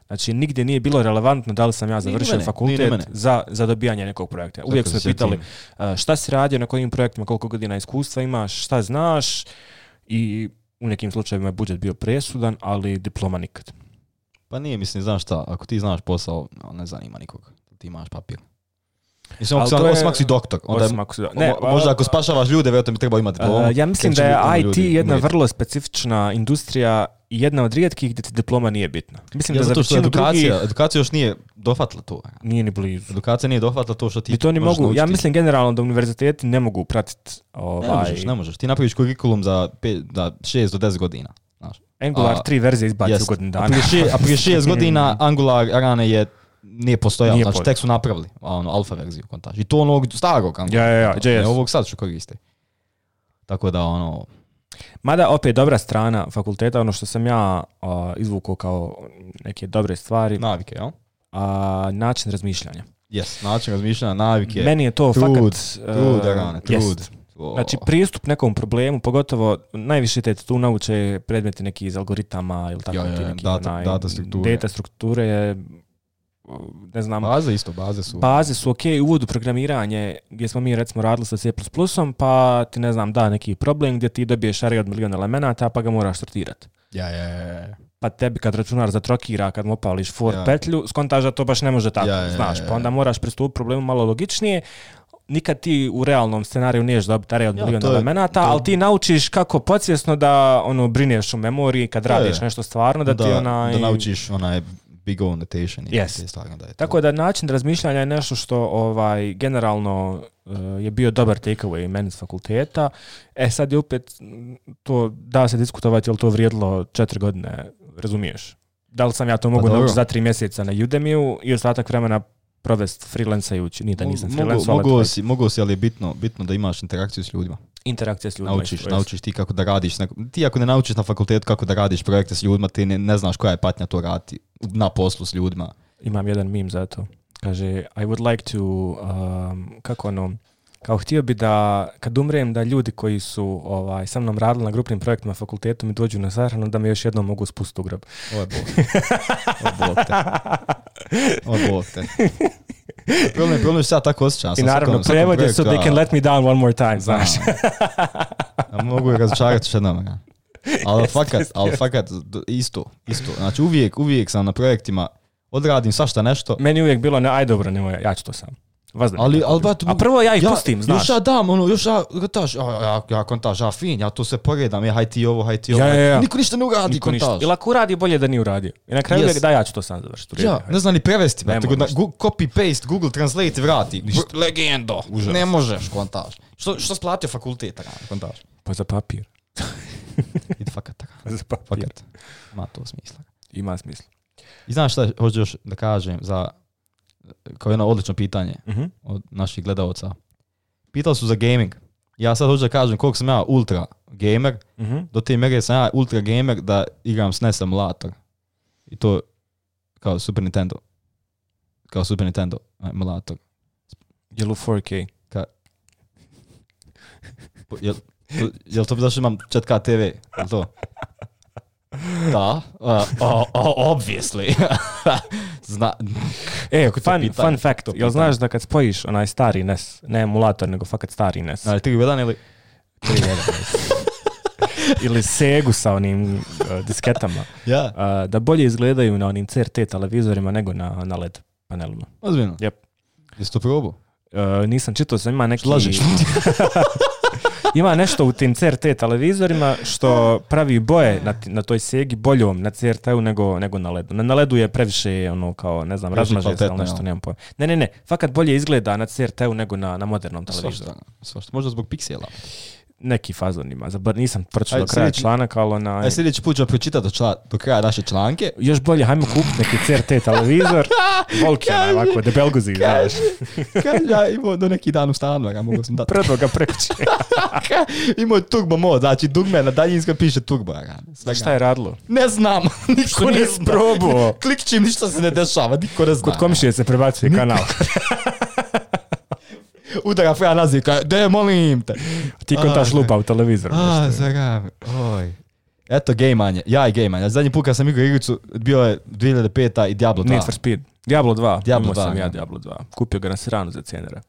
Znači, nigdje nije bilo relevantno da li sam ja završio fakultet za dobijanje nekog projekta. Uvijek su me pitali šta si radio, na kojim projektima, koliko godina iskustva imaš, šta znaš, i u nekim slučajevima je budžet bio presudan, ali diploma nikad. Pa nije, mislim, znaš šta, ako ti znaš posao, ne zanima nikog, ti imaš papir. Mislim, osim ako si doktor, možda ako spašavaš ljude, vjerojatno bi trebao imati diplomu. Ja mislim da je IT jedna vrlo specifična industrija i jedna od rijetkih gdje ti diploma nije bitna. Mislim da zato što edukacija još nije dohvatila to. Nije ni blizu. Edukacija nije dohvatila to što ti možeš naučiti. Ja mislim generalno da univerziteti ne mogu pratiti Ne možeš. Ti napraviš kurikulum za 6 do 10 godina. Angular 3 verzije izbaci u godinu dana. A prije 6 godina Angular rane nije postojao, znači tek su napravili alfa verziju kontaž. I to onog starog Angulara. Ne ovog sad što koriste. Tako da Mada opet dobra strana fakulteta, ono što sam ja izvukao kao neke dobre stvari. Navike, jel? Način razmišljanja. Yes, način razmišljanja, navike. Meni je to fakat... Trud. Znači, pristup nekom problemu, pogotovo najviše te tu nauče predmeti neki iz algoritama ili tako neki data strukture je, ne znam. Baze su ok, uvod u programiranje gdje smo mi recimo radili sa C++, pa ti ne znam da neki problem gdje ti dobiješ array od milion elemenata pa ga moraš sortirati. Pa tebi kad računar zatrokira, kad mu opališ for petlju, skontaš da to baš ne može tako, znaš, pa onda moraš pristupiti problemu malo logičnije. Nikad ti u realnom scenariju niješ dobiti array od milion elemenata, ali ti naučiš kako podsvjesno da brineš u memoriji kad radiš nešto stvarno, da ti da naučiš big O notation. Tako da način razmišljanja je nešto što generalno je bio dobar takeaway meni s fakulteta. Sad je opet to da se diskutovati, je li to vrijedilo 4 godine, razumiješ? Da li sam ja to mogu naučiti za 3 mjeseca na Udemy-u i ostatak vremena provest freelancajući, nije da nisam freelancer. Mogu si, ali je bitno da imaš interakciju s ljudima. Interakcija s ljudima. Naučiš ti kako da radiš. Ti ako ne naučiš na fakultetu kako da radiš projekte s ljudima, ti ne znaš koja je patnja to raditi na poslu s ljudima. Imam jedan meme za to. Kaže, I would like to, kao htio bi da kad umrem da ljudi koji su sa mnom radili na grupnim projektima fakultetu mi dođu na sahranu da me još jednom mogu spustiti u grob. Ovo je Bog te. Problem je što ja tako osjećam. I naravno prevod je so they can let me down one more time, znaš. Mogu razočarati još jednom. Ali fakat isto. Znači uvijek sam na projektima, odradim svašta nešto. Meni uvijek bilo, aj dobro, nemoj, ja ću to sam. A prvo ja ih pustim, znaš. Još ja dam, još ja kontaž, fin, ja to sve poredam, haj ti ovo. Ja. Niko ništa ne uradi kontaž. Ili ako uradi, bolje da nije uradio. I na kraju uvijek da ja ću to sam završiti. Ja, ne znam ni prevesti, tako da copy-paste, Google Translate vrati. Legendo, ne možeš kontaž. Što splatio fakulteta kontaž? Pa za papir. Idi fakat. Za papir. Ima to smisla. Ima smisla. I znaš šta hoću još da kažem za kao jedno odlično pitanje od naših gledalca. Pitali su za gaming. Ja sad hoću da kažem koliko sam ja ultra gamer. Do te mere sam ja ultra gamer da igram SNES emulator. I to kao Super Nintendo. Emulator. Je li u 4K? Jel to bi zašto imam 4K TV? Jel to? Da, obviously. Fun fact, jel znaš da kad spojiš onaj stari NES, ne emulator, nego fakat stari NES. Ali 3.1 ili? 3.1 ili Segu sa onim disketama, da bolje izgledaju na onim CRT televizorima nego na LED panelima. Ozbiljno? Yep. Jesi to probao? Nisam čitao, sam ima neki... Lažiš. Ima nešto u tim CRT televizorima što pravi boje na toj Segi boljom na CRT-u nego na LED-u. Na LED-u je previše kao, ne znam, razmaže se ili nešto, nemam pojma. Ne, fakat bolje izgleda na CRT-u nego na modernom televizoru. Svašta. Možda zbog piksela. Neki fazon ima. Nisam pročitao do kraja članak, ali sljedeći put ću pročitati do kraja naše članke. Još bolje, hajmo kupiti neki CRT televizor. Volkjana, ovako, debelguzi, znaš. Ja imao do neki dan u stanu, ga mogu sam dati. Predvo ga prekući. Imao je turbo mod, znači dugme na daljinska piše turbo. Šta je radilo? Ne znam, niko ne zna. Probao. Klikćim, ništa se ne dešava, niko ne zna. Kod komšije se prebacuje kanal. Udara Freja naziv, de molim te. Ti kontaš lupa u televizoru. Oj. Eto gejmanje, ja i gejmanje. Zadnji put kad sam igrao igricu, bio je 2005 i Diablo 2. Need for Speed. Diablo 2. Imao sam ja Diablo 2. Kupio ga na Siranu za cijenera.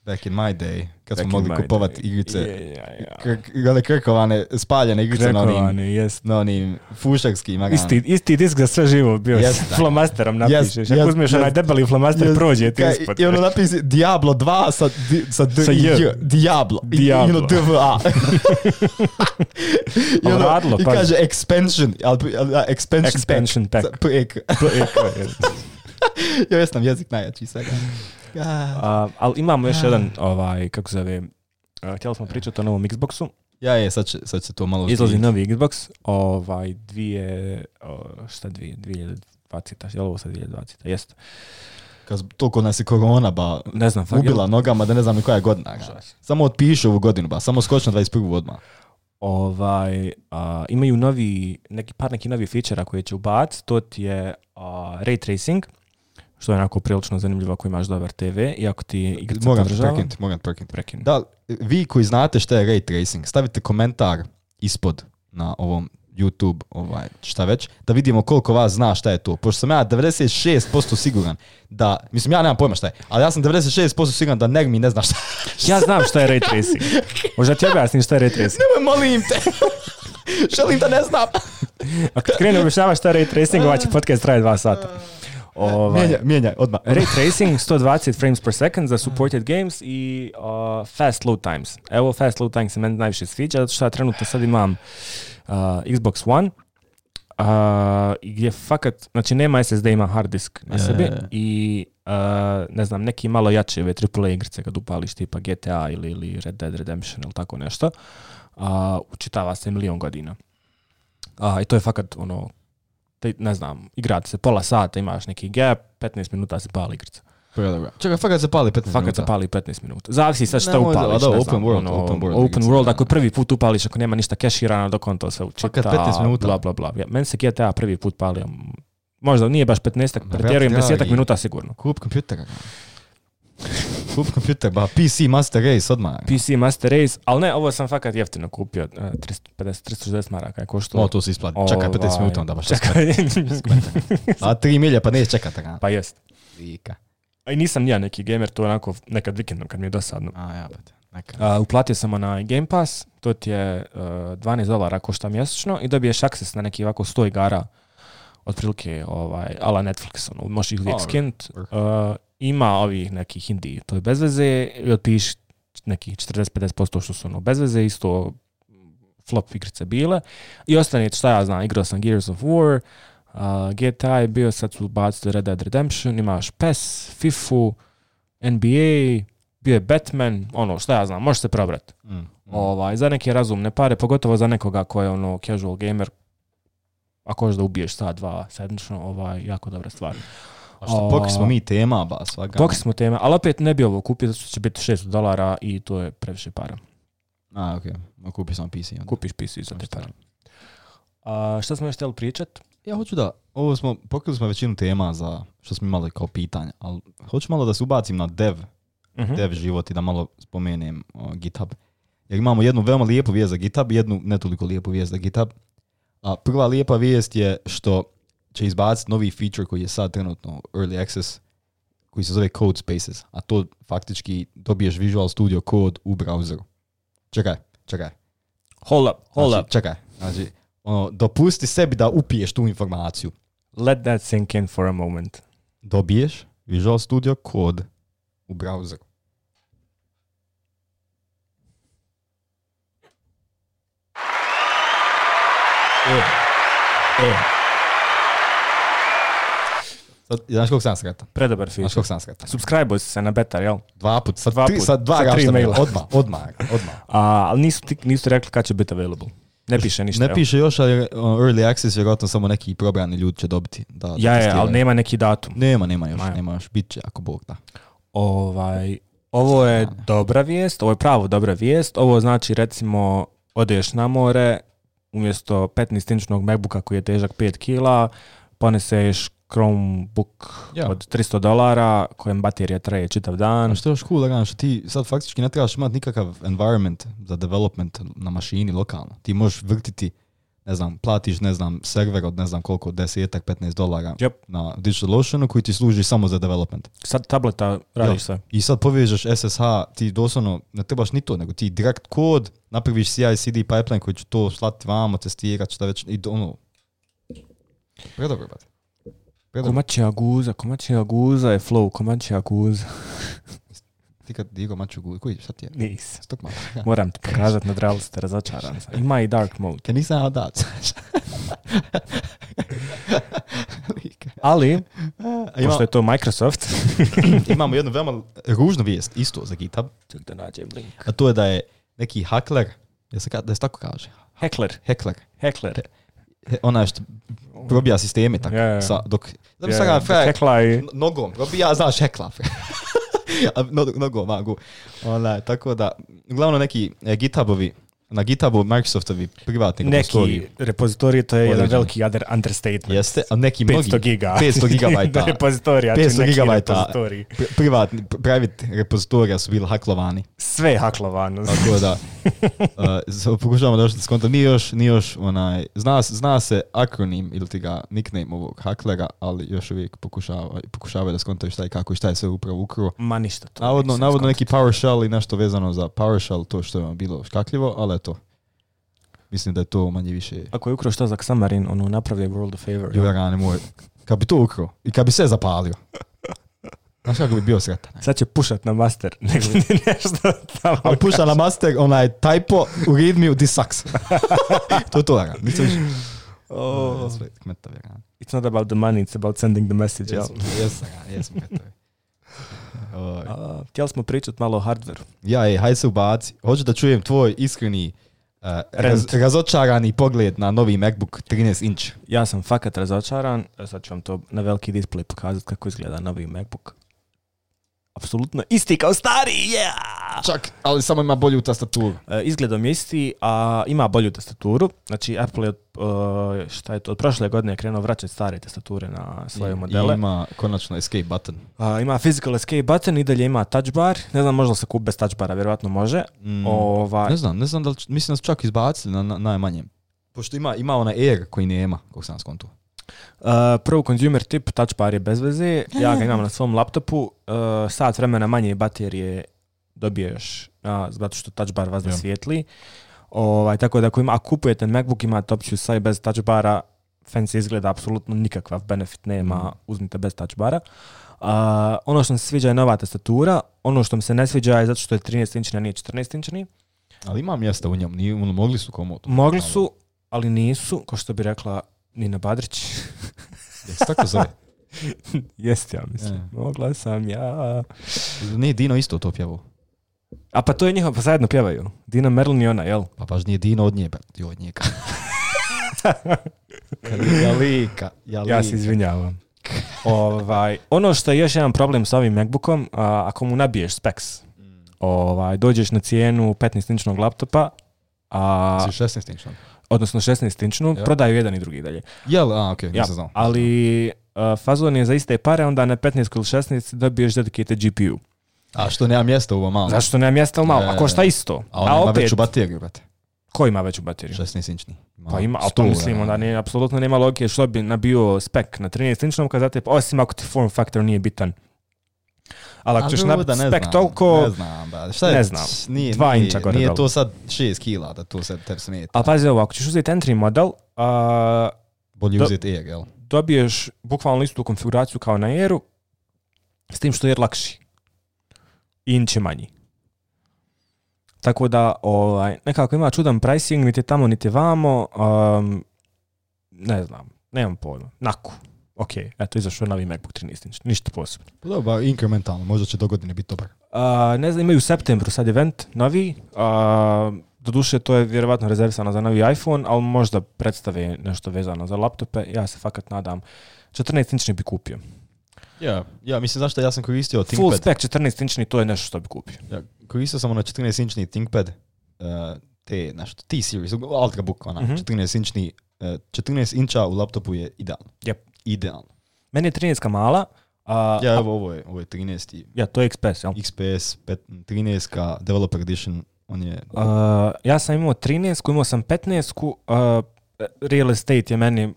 Back in my day, kad smo mogli kupovati igrice, krkovane, spaljene igrice na onim fušarskim. Isti disk za sve živo bio s flomasterom napišeš. Ako uzmeš onaj debeli flomaster, prođe ti ispod. I ono napisi Diablo 2 sa Diablo. DVA. I kaže expansion pack. Ja jesam jezik najjači svega. Ali imamo još jedan, kako zove, htjeli smo pričati o novom Xboxu. Sad se to malo... Izlazi novi Xbox, 2020, je li ovo sad 2020, jest. Toliko nas je korona, ne znam, ubila nogama, da ne znam ni koja je godina. Samo otpiše ovu godinu, samo skoči na 21. odmah. Imaju neki novi feature koji će ubaciti, to ti je ray tracing, što je onako prilično zanimljivo ako imaš dobar TV i ako ti igrica podržava. Moram prekinuti. Da, vi koji znate šta je ray tracing, stavite komentar ispod na ovom YouTube, šta već, da vidimo koliko vas zna šta je to. Pošto sam ja 96% siguran da, mislim ja nemam pojma šta je, ali ja sam 96% siguran da Negmi ne zna šta je. Ja znam šta je ray tracing. Možda ti objasnim šta je ray tracing. Nemoj, molim te. Želim da ne znam. Ako krenu objašnjavaš šta je ray tracing, ovaj će podcast traje 2 sata. Mijenjaj, odmah. Ray tracing, 120 frames per second za supported games i fast load times. Evo, fast load times se meni najviše sviđa, zato što ja trenutno sad imam Xbox One, gdje fakat, znači nema SSD, ima hard disk na sebi i ne znam, neki malo jače AAA igrice kad upališ tipa GTA ili Red Dead Redemption ili tako nešto, učitava se 1.000.000 godina. I to je fakat ne znam, igrate se pola sata, imaš neki gap, 15 minuta se pali igrica. Čekaj, fakat se pali 15 minuta? Fakat se pali 15 minuta. Zavisi sad šta upališ. Open world, ako prvi put upališ, ako nema ništa keširano, dok on to se učita. Fakat 15 minuta? Bla, bla, bla. Meni se GTA prvi put palio. Možda nije baš 15, pretjerujem 10 minuta sigurno. Kup kompjuter. Kup kompjuter, PC Master Race odmah. PC Master Race, ali ne, ovo sam fakat jeftino kupio, 360 maraka je koštalo. To se isplati, čekaj 50 minuta onda baš. Čekaj. A 3 milje pa neće čekati. Pa jest. Vika. A i nisam ja neki gamer, to onako nekad vikendom kad mi je dosadno. Uplatio sam na Game Pass, to ti je $12 košta mjesečno i dobiješ access na neki ovako 100 igara, otprilike ala Netflix, možeš ih uvijek skint. Ima ovih nekih indie, to je bez veze, i otpiši nekih 40-50% što su bez veze, isto flop igrice bile. I ostane, šta ja znam, igrao sam Gears of War, GTA je bio, sad su bacili Red Dead Redemption, imaš PES, FIFA, NBA, bio je Batman, šta ja znam, možeš se probrati. Za neke razumne pare, pogotovo za nekoga ko je casual gamer, ako hoćeš da ubiješ sat, dva sedmično, jako dobra stvar. A što pokri smo mi tema, svakako. Pokri smo tema, ali opet ne bi ovo kupio, zato što će biti $600 i to je previše para. Okej. Kupi samo PC. Onda. Kupiš PC za te pare. Šta smo još htjeli pričat? Ja hoću da, pokrili smo većinu tema za što smo imali kao pitanja, ali hoću malo da se ubacim na dev život i da malo spomenem GitHub. Jer imamo jednu veoma lijepu vijest za GitHub i jednu ne toliko lijepu vijest za GitHub. A prva lijepa vijest je što će izbaciti novi feature koji je sad trenutno Early Access, koji se zove Code Spaces, a to faktički dobiješ Visual Studio Code u browseru. Čekaj. Hold up. Čekaj. Znači, dopusti sebi da upiješ tu informaciju. Let that sink in for a moment. Dobiješ Visual Studio Code u browseru. Znaš koliko sam sretan? Predobar feature. Znaš koliko sam sretan? Subscribe-uj se na beta, jel? Dva put. Sad dva tri maila. Odmah. Ali nisu rekli kad će biti available. Ne piše ništa. Ne piše još, ali Early Access vjerojatno samo neki probrani ljudi će dobiti. Ali nema neki datum. Nema još. Bit će ako Bog da. Ovo je dobra vijest, ovo je pravo dobra vijest. Ovo znači recimo odeš na more, umjesto 15-inčnog MacBooka koji je težak 5 kila, poneseš Chromebook od $300 kojem baterija traje čitav dan. A što je još cool, što ti sad faktički ne trebaš imati nikakav environment za development na mašini lokalno. Ti možeš vrtiti, platiš, server od koliko, $10-15 na DigitalOceanu koji ti služi samo za development. Sad tableta radiš sve. I sad povežeš SSH, ti doslovno ne trebaš ni to, nego ti direkt kod, napraviš CI/CD pipeline koji će to slati vamo, testirati, šta već, i predobro, brate. Komačija guza je flow, komačija guza. Ti kad digo maču guza, koji šta ti je? Nis. Moram ti pokazati na Dralu, ste razočaran. Ima i dark mode. Can you say how that? Ali, pošto je to Microsoft, imamo jednu veoma ružnu vijest, isto za GitHub. Ček da nađem link. A to je da je neki hakler, da se tako kaže? Hekler. Ona što probija sisteme tako. Dok nogom probija, znaš hekla. Nogom magu. Tako da, uglavnom neki GitHubovi, na GitHubu Microsoftovi privatni repozitoriji. Neki repozitoriji, to je jedan veliki understatement. Jeste, a neki 500 giga. 500 gigabajta. Repozitorija, 500 gigabajta. Private repozitorija su bili haklovani. Sve je haklovano. Tako da, pokušavamo da se skontam. Nije još zna se akronim ili ti ga nickname ovog haklera, ali još uvijek pokušavaju da skontaju šta i kako i šta je sve upravo ukruo. Ma ništa to. Navodno neki PowerShell i nešto vezano za PowerShell, to što je bilo škakljivo, ali to. Mislim da je to manje više... Ako je ukro šta za Xamarin, napravio World of Favor. Juverane moj, kad bi to ukro i kad bi sve zapalio, znaš kako bi bio sretan. Sad će pušat na master, nego nešto tamo. Ali puša na master, typo u readme-u, this sucks. To je to, Aran. Nisam više... It's not about the money, it's about sending the message. Jesam kmetovi. Htjeli smo pričati malo o hardveru. Hajde se ubaci. Hoću da čujem tvoj iskreni razočarani pogled na novi MacBook 13 inch. Ja sam fakat razočaran. Sad ću vam to na veliki display pokazati kako izgleda novi MacBook. apsolutno isti kao stari, yeah! Čak, ali samo ima bolju tastaturu. Izgledom je isti, a ima bolju tastaturu. Znači, Apple je od prošle godine krenuo vraćati stare tastature na svoje modele. I ima konačno escape button. Ima physical escape button i dalje ima touch bar. Ne znam, možda se kupi bez touch bara, vjerojatno može. Ne znam da li, mislim da su čak izbacili na najmanjem. Pošto ima onaj Air koji nema, kako sam skontu. Pro consumer tip, touch bar je bez veze. Ja ga imam na svom laptopu. Sat vremena manje baterije dobiješ zato što touch bar vas svijetli. Tako da ako kupujete MacBook, imate opciju sa i bez touch bara, fancy izgleda, apsolutno nikakav benefit nema, uzmite bez touch bara. Ono što mi se sviđa je nova tastatura, ono što mi se ne sviđa je zato što je 13-inčni, a nije 14-inčni. Ali ima mjesta u njemu, mogli su komodo. Mogli su, ali nisu, kao što bi rekla Nina Badrić. Jesi tako zove? Jeste, ja mislim. Mogla sam ja. Nije Dino isto to pjevao? A pa to je njihov, pa zajedno pjevaju. Dina Merlin i ona, jel? Pa baš nije Dino od njega. Jalika. Ja se izvinjavam. Ono što je još jedan problem s ovim MacBookom, ako mu nabiješ specs, dođeš na cijenu 15-inčnog laptopa, 16-inčnog. Odnosno 16-inčnu, prodaju jedan i drugi dalje. Jel, okej, nisam znao. Ali fazon je za iste pare, onda na 15 ili 16 dobiješ dedicated GPU. A što nema mjesta u ovo malo? Zašto nema mjesta u malo? A košta isto. A on ima veću bateriju, brate. Ko ima veću bateriju? 16-inčni. Pa ima, ali to mislim, onda apsolutno nema logike što bi nabio spec na 13-inčnom, kad znate, osim ako ti form factor nije bitan. Ali ako ćeš nabiti spec toliko... Ne znam, brate. Ne znam. 2 inča gore. Nije to sad 6 kila da to sad tebi smeta. Ali pazi ovo, ako ćeš uzeti entry model... bolje uzeti Air, jel? Dobiješ bukvalno istu konfiguraciju kao na Airu, s tim što je Air lakši. Inč je manji. Tako da nekako ima čudan pricing, niti tamo, niti vamo. Ne znam, nemam pojma. Naku. Ok, eto, izašao novi MacBook 13 inch, ništa posebno. Dobro, inkrementalno, možda će do godine biti dobar. Ne znam, imaju u septembru sad event novi. Doduše, to je vjerovatno rezervisano za novi iPhone, ali možda predstave nešto vezano za laptope. Ja se fakat nadam. 14-inčni bi kupio. Ja, mislim, zašto ja sam koristio ThinkPad. Full spec 14-inčni, to je nešto što bi kupio. Ja, koristio sam ono 14-inčni ThinkPad, T-Series, Ultrabook, 14-inčni, 14 inča u laptopu je idealno. Yep. Idealno. Meni je 13 mala. Ovo je 13. Ja, to je XPS, jel? XPS, 13 Developer Edition, on je... ja sam imao 13, imao sam 15, Real Estate je meni,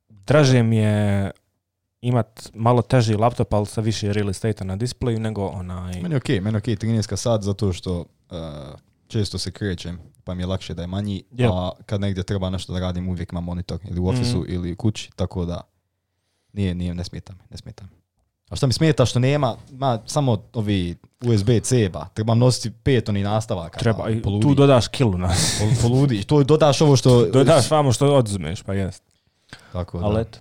draže mi je imat malo teži laptop, ali sa više real estate-a na displeju nego onaj... Meni je okej, 13 sad zato što često se krećem, pa mi je lakše da je manji, a kad negdje treba nešto da radim, uvijek imam monitor ili u ofisu ili u kući, tako da ne smeta me. A što mi smeta što nema samo ovi USB-C, trebam nositi 5 onih nastavaka. Treba, i tu dodaš kilu nas. Poludi, tu dodaš ovo što... Dodaš vamo što odzmeš, pa jest. Tako da. Ali eto.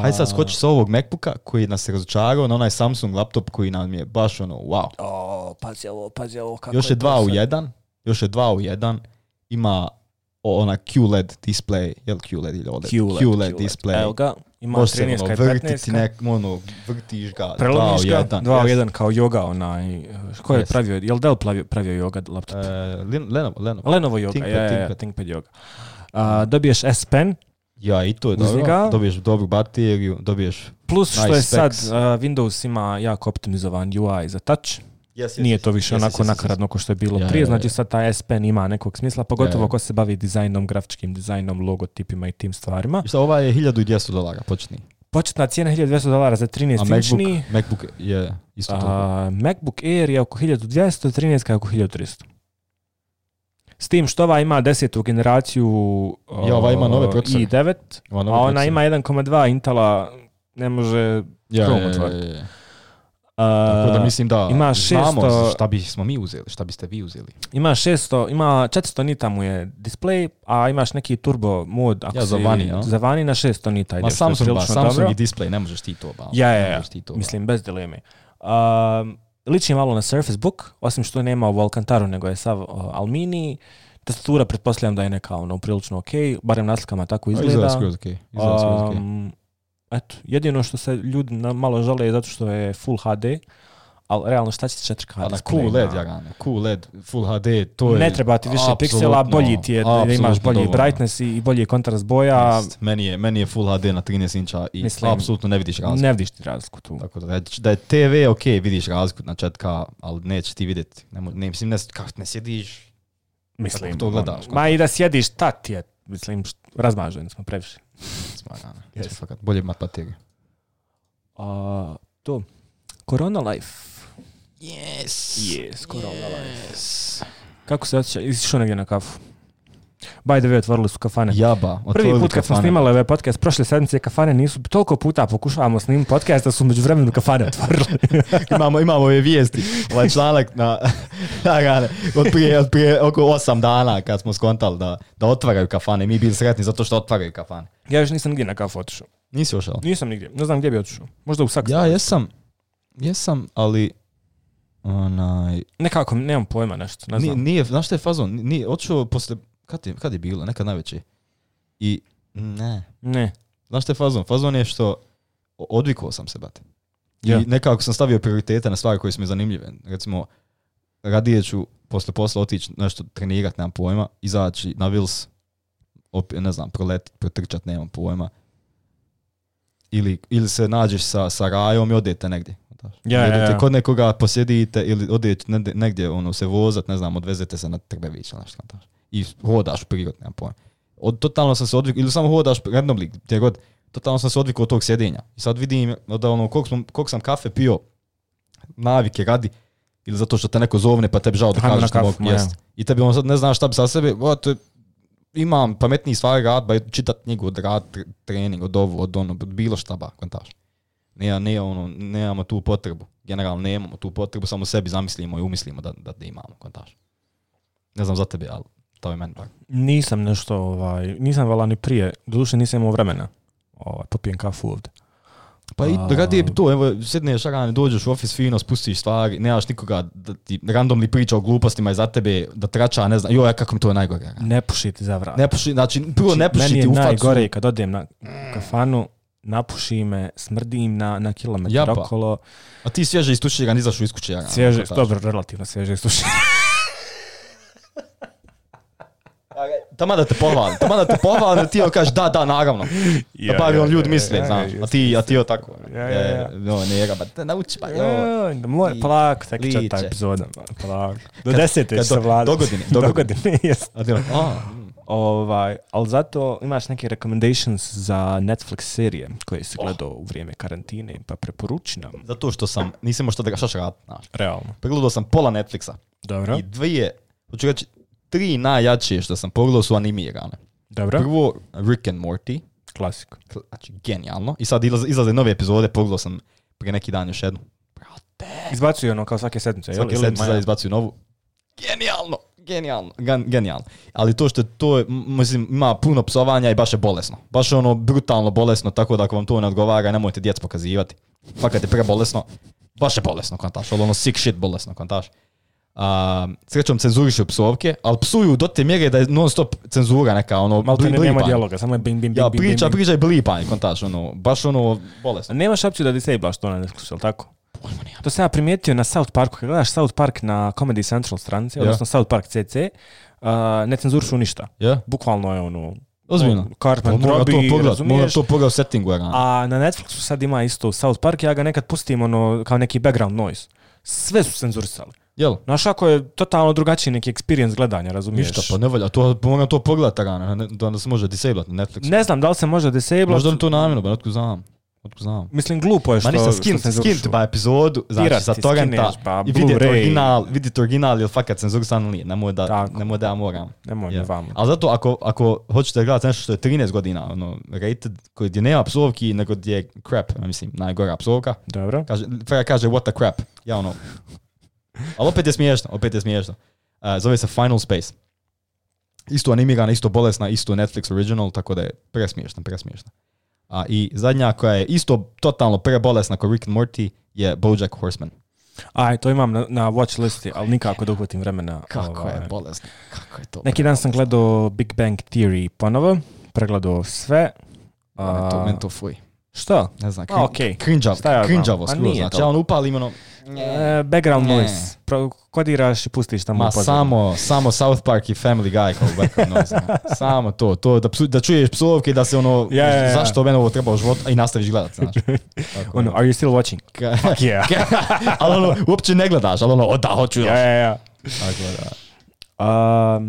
Hajde sad skoči sa ovog MacBooka koji nas je razočarao na onaj Samsung laptop koji nam je baš wow. Pazi ovo, kako još je 2 u 1, ima ona QLED display, jel QLED ili OLED? QLED display. Evo ga, ima 13 i 15. Vrtiš ga, 2 u 1 kao yoga onaj, ko je pravio, jel Dell pravio yoga laptop? Lenovo yoga, ThinkPad yoga. Dobiješ S Pen. Ja, i to je dobro. Dobiješ dobru bateriju, dobiješ plus što je sad Windows ima jako optimizovan UI za touch. Nije to više onako nakaradno kao što je bilo prije. Znači sad ta S Pen ima nekog smisla, pogotovo ko se bavi dizajnom, grafičkim dizajnom, logotipima i tim stvarima. I sad ova je $1,200 početni. Početna cijena $1,200 za 13-inčni. A MacBook je isto to. MacBook Air je oko 1200, 13 je oko 1300. S tim što ova ima 10. generaciju ova ima nove procesore. i9, a ona ima 1.2 Intela, ne može Chrome otvoriti. Tako da mislim da ima 600, znamo šta bismo mi uzeli, šta biste vi uzeli. Ima 400 nita mu je display, a imaš neki turbo mod za vani na 600 nita. Ma Samsung i display, ne možeš ti to. Mislim bez dileme. Liči malo na Surface Book, osim što nema u Alcantaru, nego je sav alumini. Tastatura pretpostavljam da je neka prilično ok, barem na slikama tako izgleda. Izgleda skroz ok. Eto, jedino što se ljudi malo žale je zato što je Full HD, ali realno šta će 4K display? QLED, Jarane, QLED, Full HD, to je... Ne treba ti više piksela, bolji ti je da imaš bolji dovoljno. Brightness i bolji kontrast boja. Meni je Full HD na 13 inča i apsolutno ne vidiš razliku. Ne vidiš ti razliku tu. Tako da je TV ok, vidiš razliku na 4K, ali neće ti vidjeti. Ne sjediš, mislim, to gledaš. Ma i da sjediš, ta ti je, mislim, razmaženi smo previše. Smagano, fakat bolje imat bateriju. To, Corona Life. Yes, Corona Life. Kako se osjeća? Išao negdje na kafu? By the way, otvorili su kafane. Jaba, prvi put kad smo snimali ovaj podcast, prošle sedmice kafane nisu, toliko puta pokušavamo snimiti podcast da su među vremenu kafane otvorili. imamo ove vijesti, ovaj članak od prije oko 8 dana kad smo skontali da otvaraju kafane. Mi bili sretni zato što otvaraju kafane. Ja još nisam nigdje na kafu otišao. Nisi ošao? Nisam nigdje, ne znam gdje bi otišao. Možda u Saksonu. Ja jesam, ali nekako, nemam pojma nešto, ne znam. Nije, znaš što je fazon? Nije, otišao posle, kad je bilo? Nekad najveće. I ne. Znaš što je fazon? Fazon je što odvikao sam se, bate. I nekako sam stavio prioritete na stvari koje su mi zanimljive. Recimo, radije ću posle posla otići nešto trenirati, nemam pojma, izaći na Vils, ne znam, protrčat, nemam pojma. Ili se nađeš sa Rajom i odete negdje. Odete kod nekoga, posjedite ili odete negdje se vozat, ne znam, odvezete se na Trbević ili nešto. I hodaš u prirod, nemam pojma. Totalno sam se odvikao, ili samo hodaš randomly, gdje god, totalno sam se odvikao od tog sjedenja. I sad vidim da koliko sam kafe pio, navike radi, ili zato što te neko zovne pa tebi žao da kažeš što mogu jesti. I tebi sad ne znaš šta bi sa sebe, imam pametniji stvari rad, ba čitat knjigu, od rad, trening, od ovu, od bilo šta ba, kontaš. Nemamo tu potrebu. Generalno nemamo tu potrebu, samo sebi zamislimo i umislimo da imamo, kontaš. Ne znam za tebe, ali to je meni tako. Nisam nešto, nisam vala ni prije, doduše nisam imao vremena, popijem kafu ovdje. Pa i radije bi to, evo, sjedneš rane, dođeš u ofis fino, spustiš stvari, nemaš nikoga da ti randomni priča o glupostima iza tebe, da trača, ne znam, joj, kako mi to je najgore. Ne puši ti za vrat. Ne puši, znači, prvo ne puši ti u facu. Meni je najgore kad odem na kafanu, napuši me, smrdim na kilometar okolo. A ti svježe istuširan, izašu iz kuće. Svježe, dobro, relativno svježe istuširan. Tamo da te pohvalim, ti joj kažeš da, naravno. Da bar ljudi misle, znaš. A ti joj tako. Ne, ba, nauči pa. Polako, tako će ta epizoda. Polako. Do 10. se vlada. Dogodine, jes. Ali zato imaš neke recommendations za Netflix serije koje si gledao u vrijeme karantine, pa preporuči nam. Zato što nisam imao što da ga šašarat, znaš. Realno. Pregledao sam pola Netflixa. Dobro. I hoću reći, 3 najjačije što sam pogledao su animirane. Dobro. Prvo, Rick and Morty. Klasik. Znači, genijalno. I sad izlaze nove epizode, pogledao sam prije neki dan još jednu. Brate. Izbacuju ono kao svake sedmice. Svake sedmice izbacuju novu. Genijalno. Ali to što mislim, ima puno psovanja i baš je bolesno. Baš je brutalno bolesno, tako da ako vam to ne odgovara, nemojte djecu pokazivati. Fakat je prebolesno. Baš je bolesno, kontaš. Sick shit bolesno, kontaš. Srećom cenzurišu psovke, ali psuju do te mjere da je non stop cenzura neka, Malte nema dijaloga, samo je bing, bing, bing, bing. Priča i blipanje, kontaš, baš bolesno. Nemaš opciju da disablaš to na Netflixu, ali tako? To sam ja primijetio na South Parku, kad gledaš South Park na Comedy Central stranici, odnosno South Park CC, ne cenzurišu ništa. Bukvalno je ozbiljno. Cartman drobi, razumiješ? Moram to pogledati u settingu. A na Netflixu sad ima isto South Park, ja ga nekad pustim kao neki background noise. Sve su cenzurisali. Jel? Znaš kako je totalno drugačiji neki experience gledanja, razumiješ? Ništa, pa ne valja, moram to pogledati da se može disablat na Netflixu. Ne znam da li se može disablat. Možda to namjerno, ba otkud znam. Mislim, glupo je što se skint ba epizodu, znači sa torrenta i vidjeti original ili fakat cenzurisan ili nije, nemoj da ja moram. Nemoj vamo. Ali zato ako hoćete gledati nešto što je 13 godina, rated, gdje nema psovki, nego gdje je crap, mislim, najgora psovka. Dobro. Kaže what the crap, ja ali opet je smiješno. Zove se Final Space. Isto animirana, isto bolesna, isto Netflix original, tako da je presmiješna. I zadnja koja je isto totalno prebolesna kao Rick and Morty je BoJack Horseman. To imam na watch listi, ali nikako da uhvatim vremena. Kako je bolesno. Kako je to? Neki dan sam gledao Big Bang Theory ponovo, pregledao sve. Men to fuj. Što? Ne znam, Okay. cringe-avo skroz. Znači, ja on upalim ono... Background noise. Kodiraš i pustiš tamo u pozornu. Samo South Park i Family Guy kao background noise. Samo to da čuješ psovke i da se ono, zašto mene ovo treba u životu i nastaviš gledat. Znači. Ono, are you still watching? Fuck yeah. Ali ono, uopće ne gledaš, ali ono, da, hoću još. Ja. Tako da.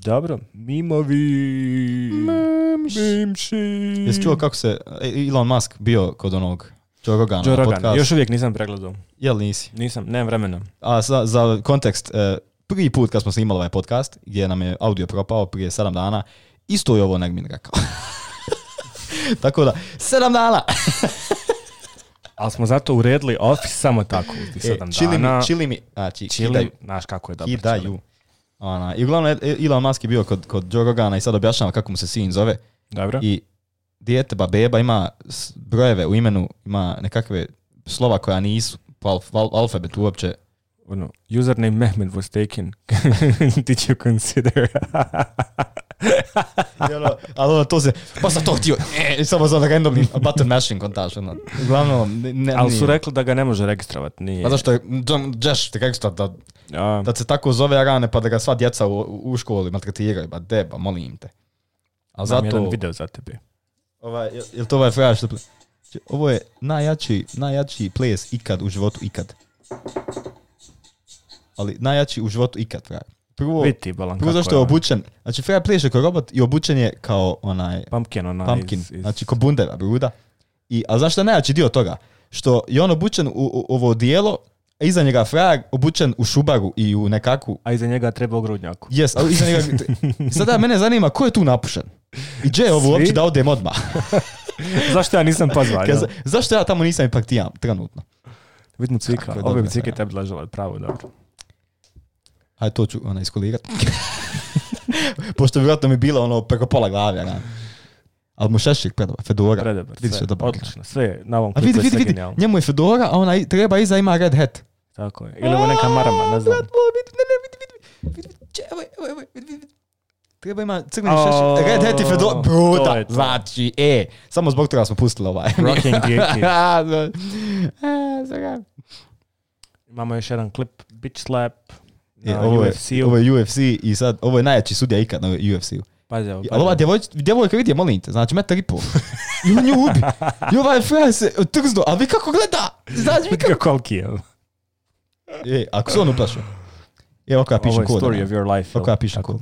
Dobro, mimovi. Mimši. Jesi čuo kako se Elon Musk bio kod onog Joe Rogana? Još uvijek nisam pregledao. Jel nisi? Nisam, nemam vremena. A za kontekst, prvi put kad smo snimali ovaj podcast, gdje nam je audio propao prije 7 dana, isto je ovo Negmin rekao. Tako da, 7 dana! Ali smo zato uredili Office samo tako. 7 dana. Chili mi. Znači, znaš kako je dobro. Kidaju. I uglavnom Elon Musk je bio kod Joe Rogana i sad objašnjava kako mu se sin zove. Dobro. I dijete, beba ima brojeve u imenu, ima nekakve slova koja nisu po alfabetu uopće. Username Mehmed was taken. Did you consider? Ali ono to se, pa sam to htio, samo za randomni button mashing kontaž. Uglavnom, ali su rekli da ga ne može registrovati. Nije. Pa zašto je Josh te registrovat da se tako zove rane pa da ga sva djeca u školi maltretiraju, ba deba, molim te. Ali zato... jedan video za tebe. Jel to ovaj frajer što... Ovo je najjači ples ikad u životu ikad. Ali najjači u životu ikad, frajer. Prvo zašto je obučen, znači frajer pleše kao robot i obučen je kao onaj... Pumpkin, znači ko bundeva, bruda. A zašto je najjači dio toga? Što je on obučen u ovo dijelo, a iza njega frajer obučen u šubaru i u nekakvu... A iza njega treba ogrudnjaku. Yes, ali iza njega... Sada mene zanima ko je tu napušen? I gdje je ovo uopće da odem odmah? Zašto ja nisam pozvan? Zašto ja tamo nisam ipak tijam, trenutno? Vidimo cvika, ove bi cvike tebi ležala, pravo, dobro. Ajde, to ću iskolirati. Pošto vjerojatno mi bila ono preko pola glave. Ali mu šešik predava, fedora. Predobar, sve, odlično, sve na ovom klipu je sve genijalno. Njemu je fedora, a ona treba iza ima red hat. Tako je, ili ovo neka marama, ne znam. Vidi. Treba ima crveni šešik, red hat i fedora. Bruda, znači, samo zbog toga smo pustili ovaj. Rocking the Imamo još jedan klip, Bitch Slap. Ovo je UFC i sad, ovo je najjači sudija ikad na UFC-u. Ali ova djevojka vidi je, molim te, znači metar i pol. I on nju ubi. I ovaj frajer se trzno, a vi kako gleda? Znači vi kako... Koliki je? Ako se on uplašio. Ovako ja pišem kod. Ovo je story of your life. Ovako ja pišem kod.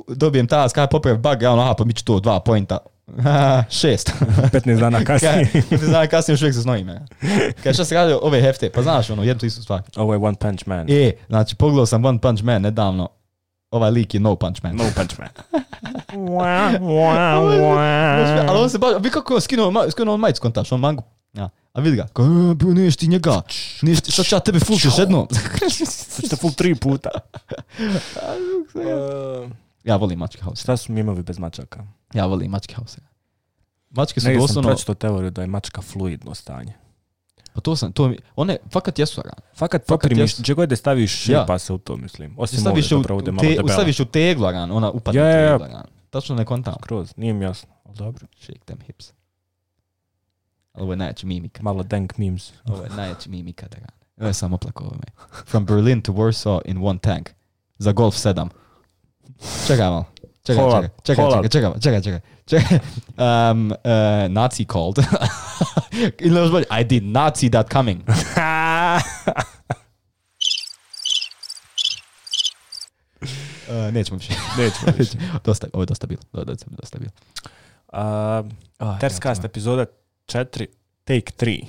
Dobijem task, kada popravim bug, ja pa mi ću to 2 pointa. 6. 15 dana kasnije. 15 dana kasnije još uvijek se znojim. Kada šta se radi ove hefte, pa znaš jednu istu stvar. Ovo je One Punch Man. Znači pogledao sam One Punch Man nedavno. Ovaj lik je No Punch Man. No Punch Man. Ali on se baš, vi kako je skinuo on majicu kontaš, on mangu. A vidi ga, bro, niješ ti njega, sad ću ja tebe full još jedno. Sad ću te full 3 puta. Ja volim Mačke House. Šta su mimovi bez mačaka? Ja volim Mačke House. Mačke su doslovno... Negdje sam pročitao teoriju da je mačka fluidno stanje. Pa one fakat jesu rane. Fakat poprimiš, gdje god da staviš šepa se u to, mislim. Osim ove zapravo da je malo debela. Staviš u teglu ran, ona upadne u teglu ran. Tačno ne kontam. Skroz, nije mi jasno, ali dobro. Shake them hips. Ovo je najjači mimika. Malo dank memes. Ovo je najjači mimika da rane. Ovo je samo plako ovo me. From Berlin to Warsaw in one tank. Za Golf 7. Čekaj malo. Čekaj. Nazi called. I did not see that coming. Nećemo više. Ovo je dosta bilo. Terscast epizoda 4, take 3.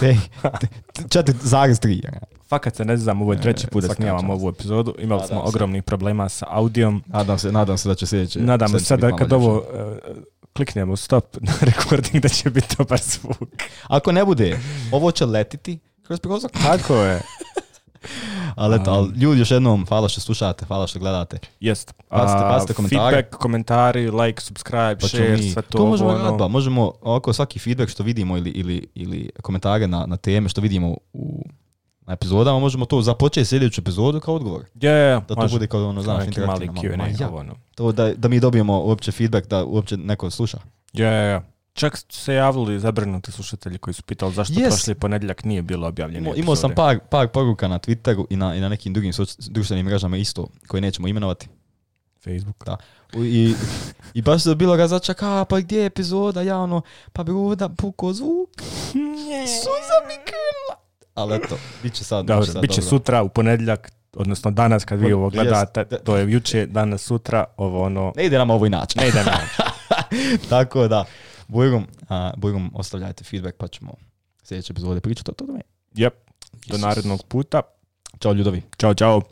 4,3. Fakat se ne znam, ovo je 3. put da snimam ovu epizodu. Imali smo ogromnih problema sa audijom. Nadam se da će sljedeće. Nadam se sad kad ovo kliknemo stop na recording da će biti dobar zvuk. Ako ne bude, ovo će letiti kroz prozor. Tako je. Ali ljudi još jednom, hvala što slušate, hvala što gledate. Jest. Bacite komentare. Feedback, komentari, like, subscribe, share, sve to. To možemo raditi, možemo ovako svaki feedback što vidimo ili komentare na teme što vidimo na epizodama, možemo to započeti sljedeću epizodu kao odgovor. Da to bude kao ono, znaš, interaktivno. To da mi dobijemo uopće feedback da uopće neko sluša. Čak su se javili zabrinuti slušatelji koji su pitali zašto prošli ponedjeljak nije bilo objavljeno. Imao sam par poruka na Twitteru i na nekim drugim društvenim mrežama isto, koje nećemo imenovati. Facebook. Da. I baš se bilo ga začaka, pa gdje je epizoda, javno, pa bi ovdje pukao zvuk. Suza mi krila. Ali eto, bit će sad. Dobro, bit će sutra u ponedjeljak, odnosno danas kad vi ovo gledate, to je juče, danas, sutra, ovo ono... Ne ide nam ovo inače. Ne ide nam. Tako da, Bujrum, ostavljajte feedback pa ćemo sljedeće epizode pričati o tome. Jep, do narednog puta. Ćao ljudovi. Ćao.